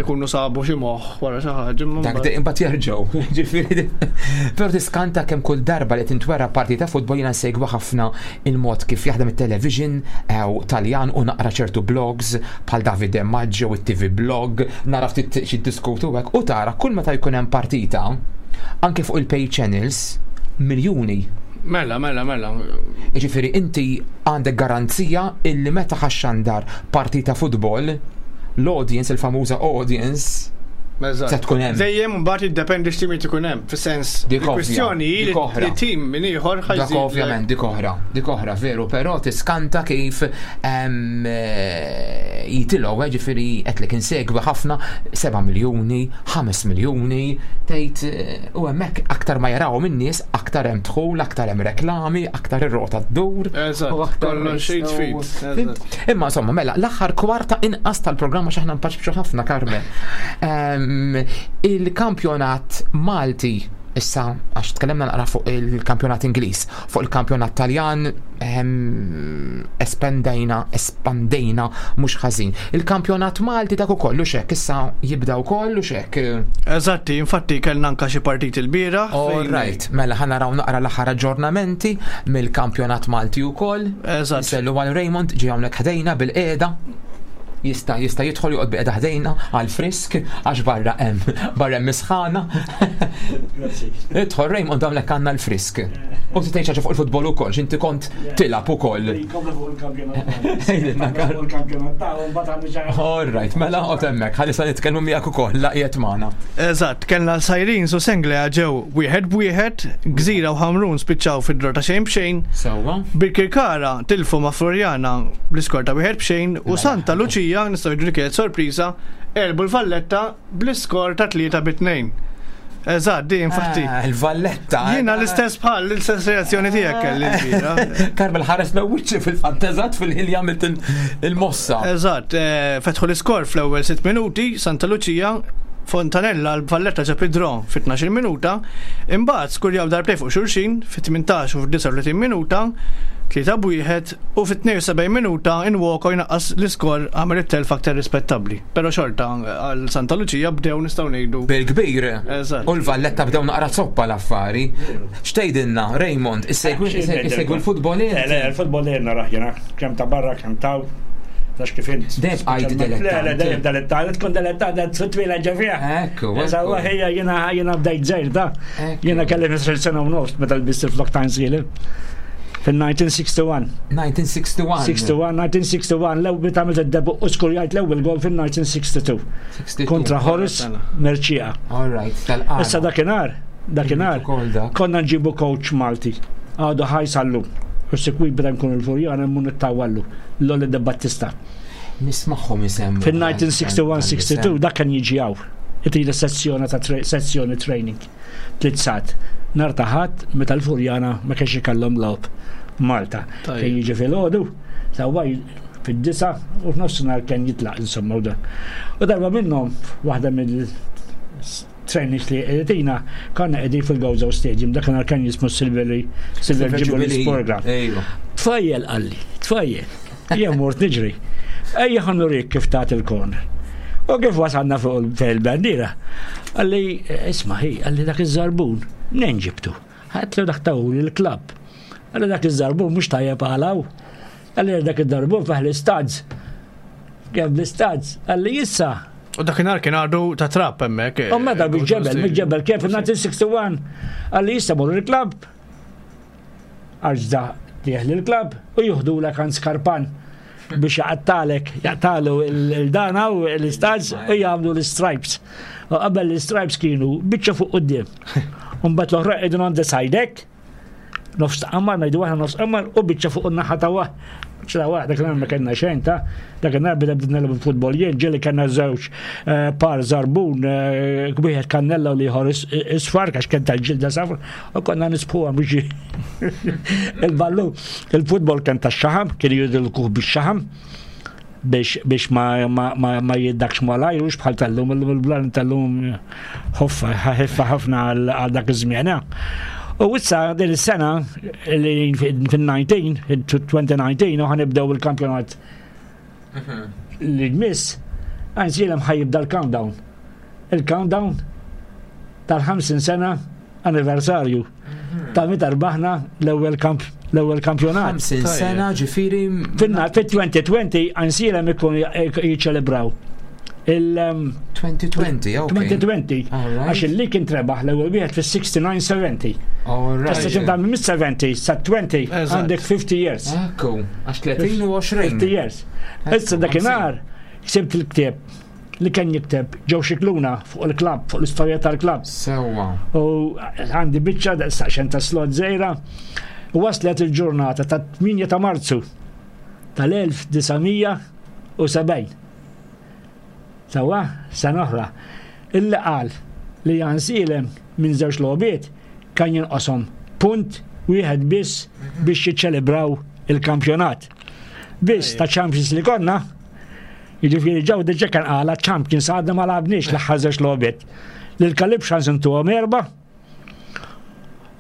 ikunu sabu xi moħħ wara xi ħaġa. Dak imbagħad jerġgħu. Ġifieri. Però tiskanta kemm kull darba li tintwera partita futbol jiena nsegwi ħafna il-mod kif jaħdem it-television ew Taljan u naqra ċertu blogs bħal Davide Maggio u t-TV blog, nara ftit xi diskutu hekk u tara kull meta jkun hemm partita anke fuq il-pay channels miljuni. Mela, mela, mela. Jiġifieri inti għandek garanzija illi meta ħa xxandar partita futbol, l-audience, il-famuża audience, se tkun hemm. Dejjem mbagħad jiddependi x'timijiet ikun hemm, fis-sens il-kwistjoni hi li tim minn ieħor ħa Dak ovvjament dik oħra, dik oħra veru, però tiskanta kif eh, jitilgħu eh, ġifieri qed insegwi ħafna 7 miljuni, 5 miljuni, tgħid eh, u hemmhekk aktar ma jarawhom in-nies, aktar hemm dħul, aktar hemm reklami, aktar ir-rota ddur. Eżatt, kollox jitfid. Imma insomma, mela, l-aħħar kwarta inqas tal-programma x'aħna npaċbċu ħafna, Carmen. Ehm, il-kampjonat Malti issa għax tkellimna naqra fuq il-kampjonat Ingliż, fuq il-kampjonat Taljan ehm, espandejna, espandejna mhux ħażin. Il-kampjonat Malti dak ukoll u xek issa jibda wkoll u xek. Eżatti, infatti kellna anka xi partiti l-bieraħ. All right, mela ħa naraw naqra l-aħħar aġġornamenti mill-kampjonat Malti wkoll. Eżatt. Sellu għal Raymond ġie hawnhekk ħdejna bil-qiegħda. Jista' jista' jidħol joqgħod biqeda ħdejna għal frisk għax barra hemm barra hemm isħana. Idħol Raymond hawnhekk għandna l-frisk. U tgħid ħaġa fuq il-futbol ukoll, x'inti kont tilgħab ukoll. All right, mela qod hemmhekk, ħalli sa nitkellmu miegħek ukoll laqiet magħna. Eżatt, kellna l-Sajrin su Senglea ġew wieħed b'wieħed, Gżira u Ħamrun spiċċaw fi draw ta' xejn b'xejn. Sewwa. Birkirkara tilfu ma' Floriana bl-iskor ta' wieħed b'xejn u Santa Lucia, nistgħu ngħidu li kienet sorpriża, għelbu l-Valletta bl-iskor ta' 3 bi 2. Eżatt, di infatti. Ah, Il-Valletta. eh. Jiena l-istess bħal l-istess reazzjoni tiegħek kelli l-bira. Karmel ħares l wiċċi fil-fatt eżatt fil-ħin li għamilt il-mossa. Eżatt, eh, fetħu l-iskor fl-ewwel 6 minuti, Santa Lucia Fontanella l-Valletta ġab id-draw fit-12 minuta, imbagħad skurjaw darbtejn fuq xulxin fit-18 u fid-39 minuta, 3 b'wieħed u fit-72 minuta Nwoko jnaqqas l-iskor għamel it-telf aktar rispettabbli. Però xorta għal Santa Lucia bdew nistgħu ngħidu. Bil-kbir. Eżatt. U l-Valletta bdew naqra zoppa l-affari. X'tgħidilna, Raymond, issegwi l-futbol Le, le, il-futbol dejjem narah jiena, kemm ta' barra kemm ta' Tax kif int. Dejjem bqajt dilettant. Le, le, dejjem dilettant. Tkun dilettant, fit-twila ġefija. Ekku. Sawa ħija jiena jiena bdejt żgħir da. Jiena kelli 15 sena u nofs meta lbist il-flok ta' nsielem. Fil-1961. 1961. 61, 1961, l-ewwel meta għamilt id-debu u skurjajt l-ewwel gol fil-1962. Kontra Horace Merċija. All right, tal-qara. Issa dakinhar, dakinhar, konna nġibu coach Malti. Għadu ħaj sallum. U sikwit beda nkun il-Furjana mmur nittawallu. Lolli De Battista. Nismagħhom isemmu. Fil-1961-62 dak kien jiġi hawn. Itila sessjoni ta' sessjoni training. Tliet sat. Nar ta' ħadd meta l-Furjana ma kienx ikollhom logħob Malta. Kien jiġi filgħodu, sewwa fid-disa u f'nofsinhar kien jitlaq insomma u dan. U darba minnhom waħda mill trainings li qegħdina konna qegħdin fil-Gozo Stadium, dakinhar kien jismu Silver Silver Jubilee Sport Ground. Tfajjel qalli, tfajjel, jien mort niġri. Ejja ħa nurik kif tagħti il-corner. U kif wasalna fuq il-bandiera, qalli isma' hi, qalli dak iż-żarbun, mnejn ġibtu? Għedtlu dak tawuli l-klabb. Qalli dak iż-żarbun mhux tajjeb għal hawn. Qalli dak iż-żarbun fih l-istads. Kemm l-istads? Qalli issa. U dakinhar kien għadu ta' trap hemmhekk. U meta bil-ġebel, bil-ġebel kien fil-1961. Qalli issa mur il-klabb. Għax da tieħ lill-klabb u juħdulek għand skarpan biex jaqtalek, jaqtalu il-dana u l-istads u jagħmlu l-stripes. U qabel l-stripes kienu biċċa fuq quddiem. Mbagħad l-oħra qegħdin on the side hekk, nofs ta' qamar, ngħidu aħna nofs qamar u biċċa fuq in-naħa ta' waħ. ċla waħda dak ma kellna xejn ta' dak nhar bida bdejna nilgħabu futbol jien ġieli kellna żewġ eh, par zarbun eh, wieħed kannella u l-ieħor isfar għax kien tal-ġilda safra U konna nisbħuha biex il-ballu, il-futbol kien ta' xaħam, kien jidilkuh bix xaħam biex, biex ma, ma, ma, ma jiddakx malajr, ux bħal tal-lum, il-blan tal-lum ħoffa, ħeffa ħafna għal dak iż-żmien. Eh. U issa din is-sena li fil-19, 2019, u ħanibdew il-kampjonat mhm. li jmiss, għansilem ħajibda l-countdown. Il-countdown tal-50 sena anniversarju ta' meta rbaħna l-ewwel kamp l-ewwel kampjonat. 50 sena ġifieri. Fil-2020 għansilem ikun jiċċelebraw il-2020, um, 2020, għax il-li kien trebaħ l-ewwel wieħed fis-69-70. Tista' ċinta minn 70 sa 20 għandek 50 years. Ekku, għax 30 u 20. 50 years. Issa dakinhar ksibt il-ktieb li kien jikteb ġew xikluna fuq il-klabb, fuq l-istorja tal-klabb. Sewwa. U għandi biċċa saqxen ta' slot żgħira. U waslet il-ġurnata ta' 8 ta' Marzu tal-1970. Sewwa, sena oħra. Illi qal li Jan Silem minn żewġ logħbiet kan jinqoshom punt wieħed biss biex jiċċelebraw il-kampjonat. Biss ta' Champions li konna, Jiġifieri ġew diġà kien qala Champions għadna ma lagħabniex l-aħħar żewġ logħbiet. Lil Kalib xans intuhom erba'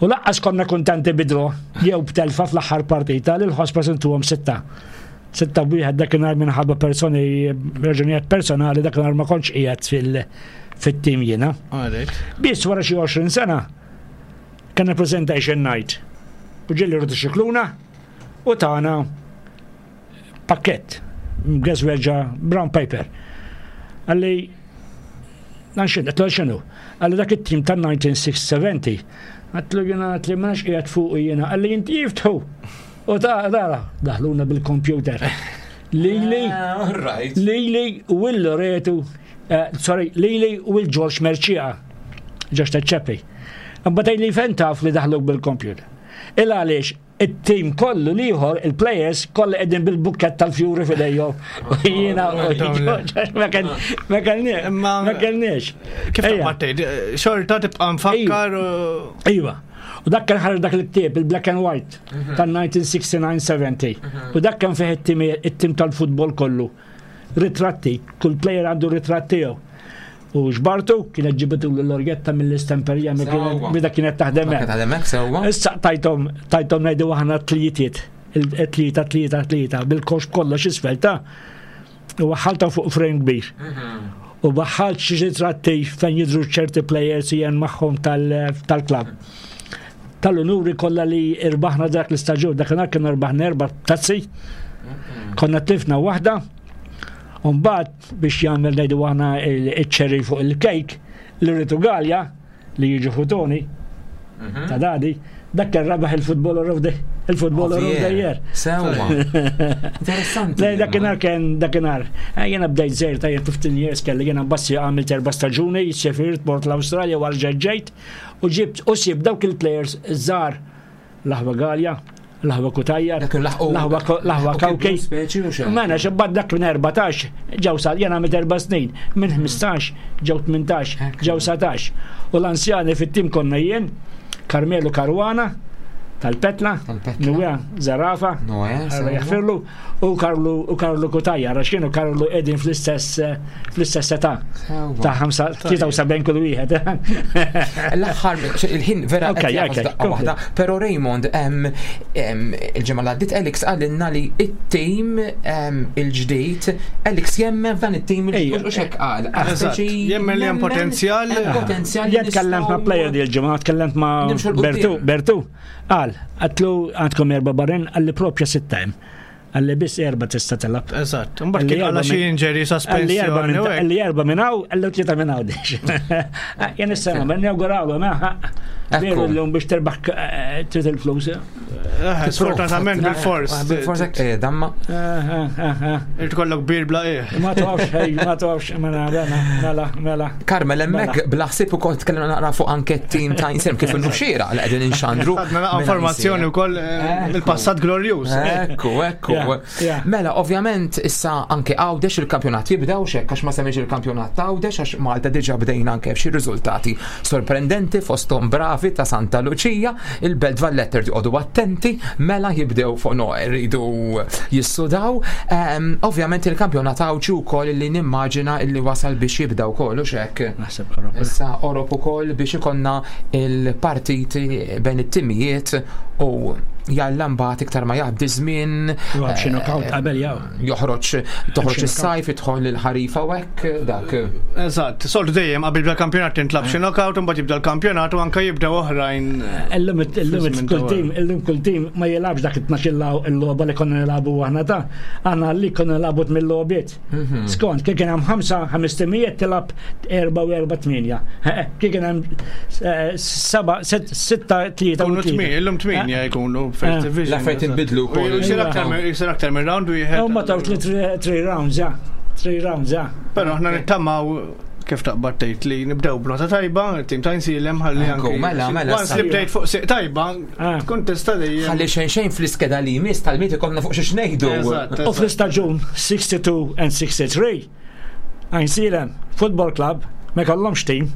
u laqqas konna kuntenti bidro jew b'telfa fl-aħħar partita lil Ħospers intuhom sitta. Sitta wieħed dakinhar minħabba personi raġunijiet personali dakinhar ma kontx qiegħed fil fit-tim jiena. Biss wara xi 20 sena kellna presentation night u ġieli rridu xikluna u tagħna pakkett mgeżweġa brown paper. Għalli, dan xinu, għatlu xinu, għalli dak it-tim ta' 1970, għatlu jena għatli ma nafx qiegħed fuq jena, għalli jinti jiftħu. U ta' dara, daħluna bil-kompjuter. Lili, ah, Lili u l-Loretu, eh, sorry, Lili u l-Ġorġ Merċija, Ġorġ Taċċeppi. Mbagħad li fejn taf li daħluk bil-kompjuter. Il għaliex it-tim kollu l-ieħor, il-players, kollha qegħdin bil-bukkett tal-fjuri f'idejhom. U jiena ma kellniex. Ma kellniex. Kif tgħid, xorta tibqa' nfakkar. Iva. U dak kien ħareġ dak il-ktieb, il-Black and White, mhm. tal-1969-70. Mhm. U dak kien fih it-tim tal-futbol kollu. Ritratti, kull player għandu ritratt tiegħu. U ġbartu, kienet ġibitu l-orgetta mill-istemperija meta kienet taħdem hekk. Taħdem hekk sewwa. Issa tajthom tajthom ngħidu aħna tlietiet, tlieta tlieta tlieta bil-kox kollox isfel ta' u waħħalta fuq frame kbir. Mhm. U waħħalt xi ritratti fejn jidhru ċerti players jien magħhom tal-klabb. Tal-unuri kollha li irbaħna dak l-istaġun, dakinhar kienu rbaħna erba' tazzi. Mhm. Konna tlifna waħda. Umbagħad biex jagħmel ngħidu aħna iċ-cherry fuq il-kejk, Loreto Galea li jiġu ħutoni ta' dadi, dak kien rabaħ il-footballer of the il-footballer of the year. Sewwa. Interessanti. Le, dakinhar kien dakinhar. Eh, Jiena bdejt żejr ta' 15 years kelli jiena bassi għamilt erba' staġuni, sifirt mort l-Awstralja u ġejt u ġibt u sib dawk il-players żgħar l-aħwa Galea, l-aħwa Cutajar, Dak il-laħqu- l-aħwa l-aħwa laħqu Kawkej. kibru speċi u xejn. Mela xebbat dak minn 14 ġew sa jena għamilt erba' snin, minn 15 ġew 18, ġew 19. U l-anzjani fit-tim konna jien, Carmelo Caruana, tal-Petla, Tal-Petla. Noè Zarafa, Noè, Alla sewwa. jaħfirlu, u Karlu u Karlu Cutajar, għax kienu Karlu qegħdin fl-istess eh, fl-istess età Sewwa. ta' 73 kull wieħed. L-aħħar, il-ħin vera Ok, qed jagħfas ok, daqqa kompli. waħda, però Raymond, em, em, il-ġimgħa li għaddiet Alex qalilna li it-tim em, il-ġdid, Alex jemmen f'dan it-tim Ejja. il-ġdid, u xek qal. Eżatt, jemmen li hemm potenzjal. Hemm potenzjal. li Jien tkellemt ma' nistgħu- player di l-ġimgħa, tkellemt ma' Nimxu 'l quddiem. Bertu, Bertu, qal, għatlu għandkom erba' barren, għalli propja sitta hemm. Għalli biss erba' tista' tilgħab. Eżatt. Mbagħad kien għala xi injury Għalli erba sospensjoni minn u hekk. għalli erba minn hawn, għalli tlieta minn hawn. Jien issa ma nawgurawlu ma. Veru Ekku. l-lum biex terbaħ eh, trid il-flus. Eh, Sfortunatament bil-fors. Bil-fors hekk, eh, damma. Eh, Irid kollok bir bla eh. Ma tafx, hej, ma tafx, mela, mela, mela, mela. Carmel, hemmhekk Mela. bla ħsieb ukoll tkellimna naqra fuq anke t-tim ta' Insem kif inhu xieraq li qegħdin inxandru. Għadna naqa' minn informazzjoni Insem. wkoll eh, mill-passat glorjuż. Ekku, ekku. Yeah, yeah. Mela, ovvjament, issa anke Għawdex il-kampjonat jibdew xek, għax ma semmiex il-kampjonat ta' Għawdex, għax Malta diġa bdejna anke f'xi riżultati sorprendenti fosthom bravi ta' Santa Lucia, il-Belt Valletta rridu attenti, mela jibdew fuq no, rridu jissudaw. Ehm, ovvjament il-kampjonat Għawdxi wkoll li nimmaġina illi wasal biex jibda wkoll u xek. Naħseb Ewropa. Issa Orop ukoll biex ikonna il-partiti bejn it-timijiet u jalla mbagħad iktar ma jgħaddi żmien Joħroġ xi knockout qabel jew. joħroġ toħroġ Xi is-sajf idħol il-ħarifa u hekk dak. Eżatt, soltu dejjem qabel jibda l-kampjonat tintlab xi knockout u mbagħad jibda l-kampjonat u anke jibdew oħrajn. Illum illum Fi żmien kull ta' tim, illum kull tim ma jilgħabx dak it-tnax il-logħba li konna nilagħbu aħna ta' aħna li konna nilagħbu tmien logħbiet. Skont, kif kien hemm ħamsa ħames timijiet tilgħab erba' u erba' tminja. Kif kien hemm eh, seba' sitta tlieta u Jkunu tlieta. tmien, illum tminja jkunu first division. L-affarijiet inbidlu U wkoll. Jsir aktar minn- jsir aktar minn round wieħed. Huma taw three rounds, ja. Three rounds, ja. Però aħna nittamaw kif taqbad tgħid li nibdew b'nota tajba, il-tim ta' Insilem ħalli Ekku, anke. mela, mela, Once li bdejt fuq siq tajba, Ah. tkun tista' dejjem. Ħalli xejn xejn fl-iskeda li jmiss tal-miet ikollna fuq xi xnejdu. Eżatt, U eżatt. fl-istaġun 62 and 63, Għajnsielem Football Club ma kellhomx team,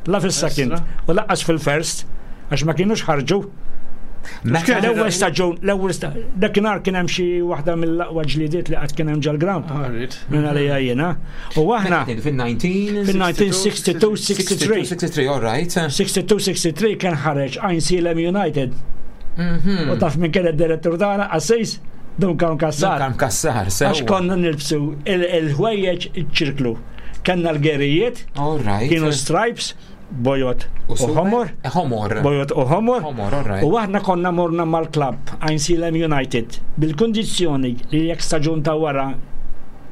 la fis-second Estra. u laqqas fil-first, għax ma kienux ħarġu. Meta L-ewwel staġun, l-ewwel staġun, dakinhar kien hemm xi waħda mill-aqwa ġlidiet li qatt kien hemm ġol-ground. Alright. Minn għalija jiena. U aħna fil-19 fil-1962 63 63, all right. 62-63 kien ħareġ Għajnsielem United. Mhm. U taf minn kien id-direttur tagħna Assis Duncan Kassar. Duncan Kassar, Għax sewa. konna nilbsu il-ħwejjeġ iċ-ċirklu. Kenna l-gerijiet, All right. kienu stripes, bojot u super? ħomor, Eh, Ħomor. bojot u ħomor. Ħomor, all right. U aħna konna morna mal-klab Għajnsielem United bil-kondizjoni li jekk staġun ta' wara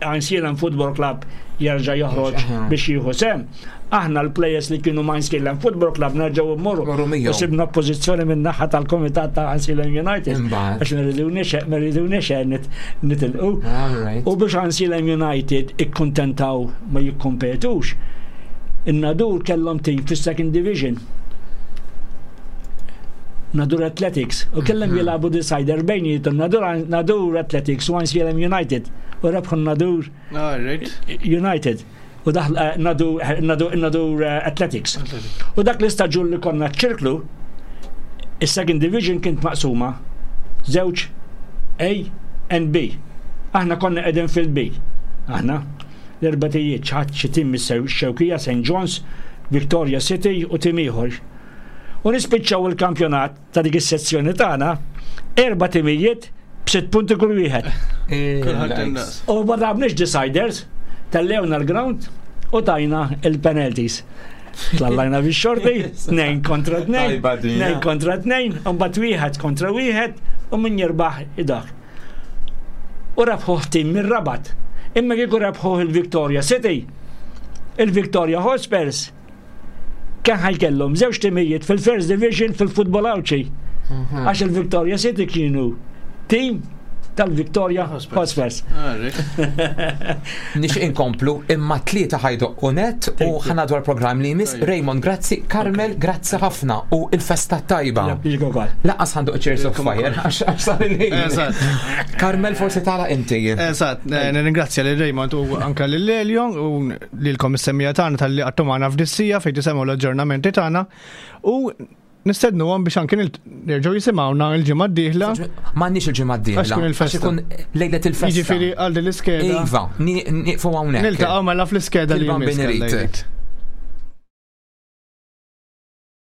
Għajnsielem Football Club jerġa' joħroġ Aha. biex jieħu sem. Aħna l-players li kienu ma' Għajnsielem Football Club nerġgħu mmorru. Morru miegħu. U sibna oppożizzjoni minn naħa tal-komitat ta' Għajnsielem United. Imbagħad. Għax ma rridunix nitilqu. All right. U biex Għajnsielem United ikkuntentaw ma jikkompetux. In-Nadur kellhom team fis-second division. Nadur Athletics. U kellhom jilagħbu decider bejnietom Nadur, Nadur Athletics u Għajnsielem United. U rebħu Nadur Alright. United. U daħl eh, Nadur, Nadur, Nadur eh, Athletics. U dak l-istaġun li konna ċirklu, is-second division kient maqsuma żewġ A and B. Aħna konna qegħdin fil-B. Aħna l-erbatijiet ċaħat xi tim mis-Xewkija, St. John's, Victoria City u tim ieħor. U nispiċċaw il-kampjonat ta' dik is-sezzjoni tagħna erba' timijiet b'sitt punti kull wieħed. Kulħadd Eh, indaqs. U ma dabniex deciders, tellewna l-ground u tajna il-penalties. Tlallajna bix xorti, 2 kontra 2, Tajba din, 2 ja. kontra 2, u mbagħad wieħed kontra wieħed u min jirbaħ idak. U rabħu tim mir-Rabat. Imma kieku rebħuh il-Victoria City, il-Victoria Hotspurs kien ħajkellhom żewġ timijiet fil-First Division fil-futbol Għawdxi. Mhm. Għax il-Victoria City kienu tim tal-Victoria Hotspurs. Nix inkomplu imma tlieta ħajdoqqu net u ħana dwar programm li jmiss. Raymond, grazzi. Carmel, grazzi ħafna u il-festa tajba. Laqqas ħandu Cheers of Fire, għax sar il-ħin. Carmel, forsi tala inti. Eżatt, eh, nirringrazzja lil Raymond u anka lil Elio u lilkom is-semmija tagħna tal-li għattu magħna f'dissija fejn tisemgħu l-aġġornamenti tagħna u nistednu għom biex anki nerġgħu jisimgħuna l-ġimgħa d-dieħla. M'għandniex il-ġimgħa d-dieħla. Għax ikun il-festa. Ikun lejlet il-festa. Jiġifieri għal din l-iskeda. Iva, nieqfu hawnhekk. Niltaqgħu mela fl-iskeda li jmiss.